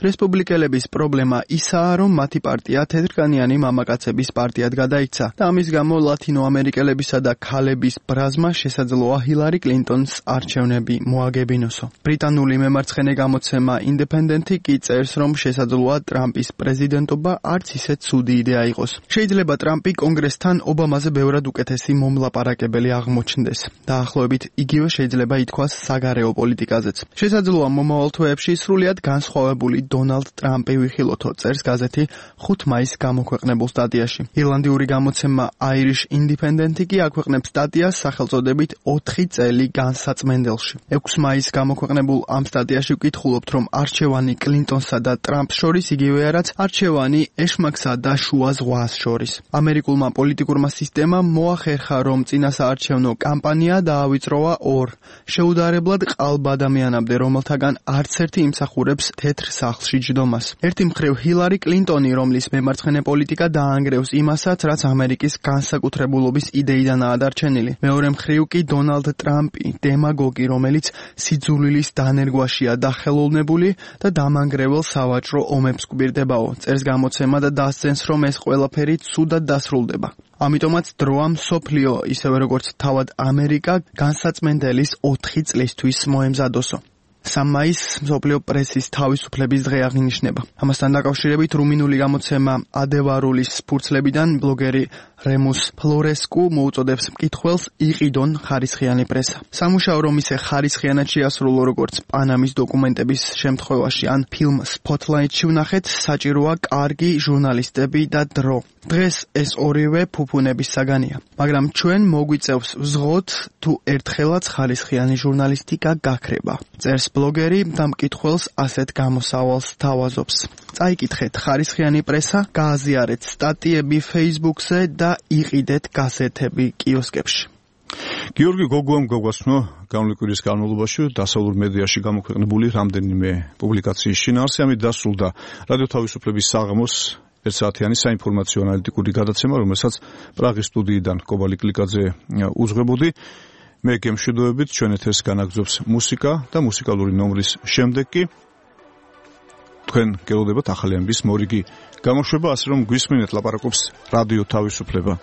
რესპუბლიკელების პრობლემა ისაა, რომ მათი პარტია თეთრკანიანი მამაკაცების პარტიად გადაიქცა და ამის გამო ლათინოამერიკელებისა და ქალების ბრაზმა შესაძლოა ჰილარი კლინტონს არჩევნები მოაგებინოსო. ბრიტანული მემარცხენე გამოცემა ინდეპენდენტი კი წერს, რომ შესაძლოა ტრამპის პრეზიდენტობა არც ისე ცუდი იდეა იყოს. შეიძლება ტრამპი კონგრესთან ობამაზე ბევრად უკეთესი მომლაპარაკებელი აღმოჩნდეს. დაახლოებით იგივე შეიძლება ითქვას საგარეო პოლიტიკაზეც. შესაძლოა მომავალ თვეებში სრულიად განსხვავებული დონალდ ტრამპი ვიხილოთო, წერს გაზეთი ხუთ მაისს გამოქვეყნებულ სტატიაში. ირლანდიური გამოცემა Irish Independent კი აქვეყნებს სტატიას სახელწოდებით ოთხი წელი განსაწმენდელში. ექვსი მაისს გამოქვეყნებულ ამ სტატიაში ვკითხულობთ, რომ არჩევანი კლინტონსა და ტრამპს შორის იგივეა, რაც არჩევანი ეშმაკსა და შუა ზღვას შორის. ამერიკულმა პოლიტიკურმა სისტემამ მოახერხა, რომ წინასაარჩევნო კამპანია დაავიწროვა ორ შეუდარებლად ყალბ ადამიანამდე, რომელთაგან არც ერთი იმსახურებს თეთრ სახლში ჯდომას. ერთი მხრივ ჰილარი კლინტონი, რომლის მემარცხენე პოლიტიკა დაანგრევს იმასაც, რაც ამერიკის განსაკუთრებულობის იდეიდანაა დარჩენილი. მეორე მხრივ კი დონალდ ტრამპი, დემაგოგი, რომელიც სიძულვილის დანერგვაშია დახელოვნებული და დამანგრევალ სავაჭრო ომებს გვირდებაო. წერს გამოცემა და დასცენს, რომ ეს ყველაფერი ცუდად დასრულდება. ამიტომაც დროა მსოფლიო, ისევე როგორც თავად ამერიკა, განსაწმენდელის ოთხი წლისთვის მოემზადოსო. სამი მაისს მსოფლიო პრესის თავისუფლების დღე აღინიშნება. ამასთან დაკავშირებით რუმინული გამოცემა ადევარულის ფურცლებიდან ბლოგერი რემუს ფლორესკუ მოუწოდებს მკითხველს იყიდონ ხარისხიანი პრესა. სამუშაო რომ ისე ხარისხიანად შეასრულო, როგორც პანამის დოკუმენტების შემთხვევაში ან ფილმ სპოტლაიტში ვნახეთ, საჭიროა კარგი ჟურნალისტები და დრო. დღეს ეს ორივე ფუფუნების საგანია, მაგრამ ჩვენ მოგვიწევს ვზღოთ თუ ერთხელაც ხარისხიანი ჟურნალისტიკა გაქრება. წერს ბლოგერი და მკითხველს ასეთ გამოსავალს თავაზობს. წაიკითხეთ ხარისხიანი პრესა, გააზიარეთ სტატიები Facebook-ზე და იყიდეთ გაზეთები კიოსკებში. გიორგი გოგუამ გაგვაცნო გამოვლის კვირის განმავლობაში დასავლურ მედიაში გამოქვეყნებული რამდენიმე პუბლიკაციის შინაარსი. ამით დასრულდა რადიო თავისუფლების საღამოს ერთ საათიანი საინფორმაციო ანალიტიკური გადაცემა, რომელსაც პრაღის სტუდიიდან კობალი კლიკაძე უძღვებოდი. მე გემშვიდობებით, ჩვენ ეთერს განაგრძობს მუსიკა და მუსიკალური ნომრის შემდეგ კი თქვენ გელოდებათ ახალი ამბის მორიგი გამოშვება, ასე რომ გვისმინეთ ლაპარაკობს რადიო თავისუფლება.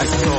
I saw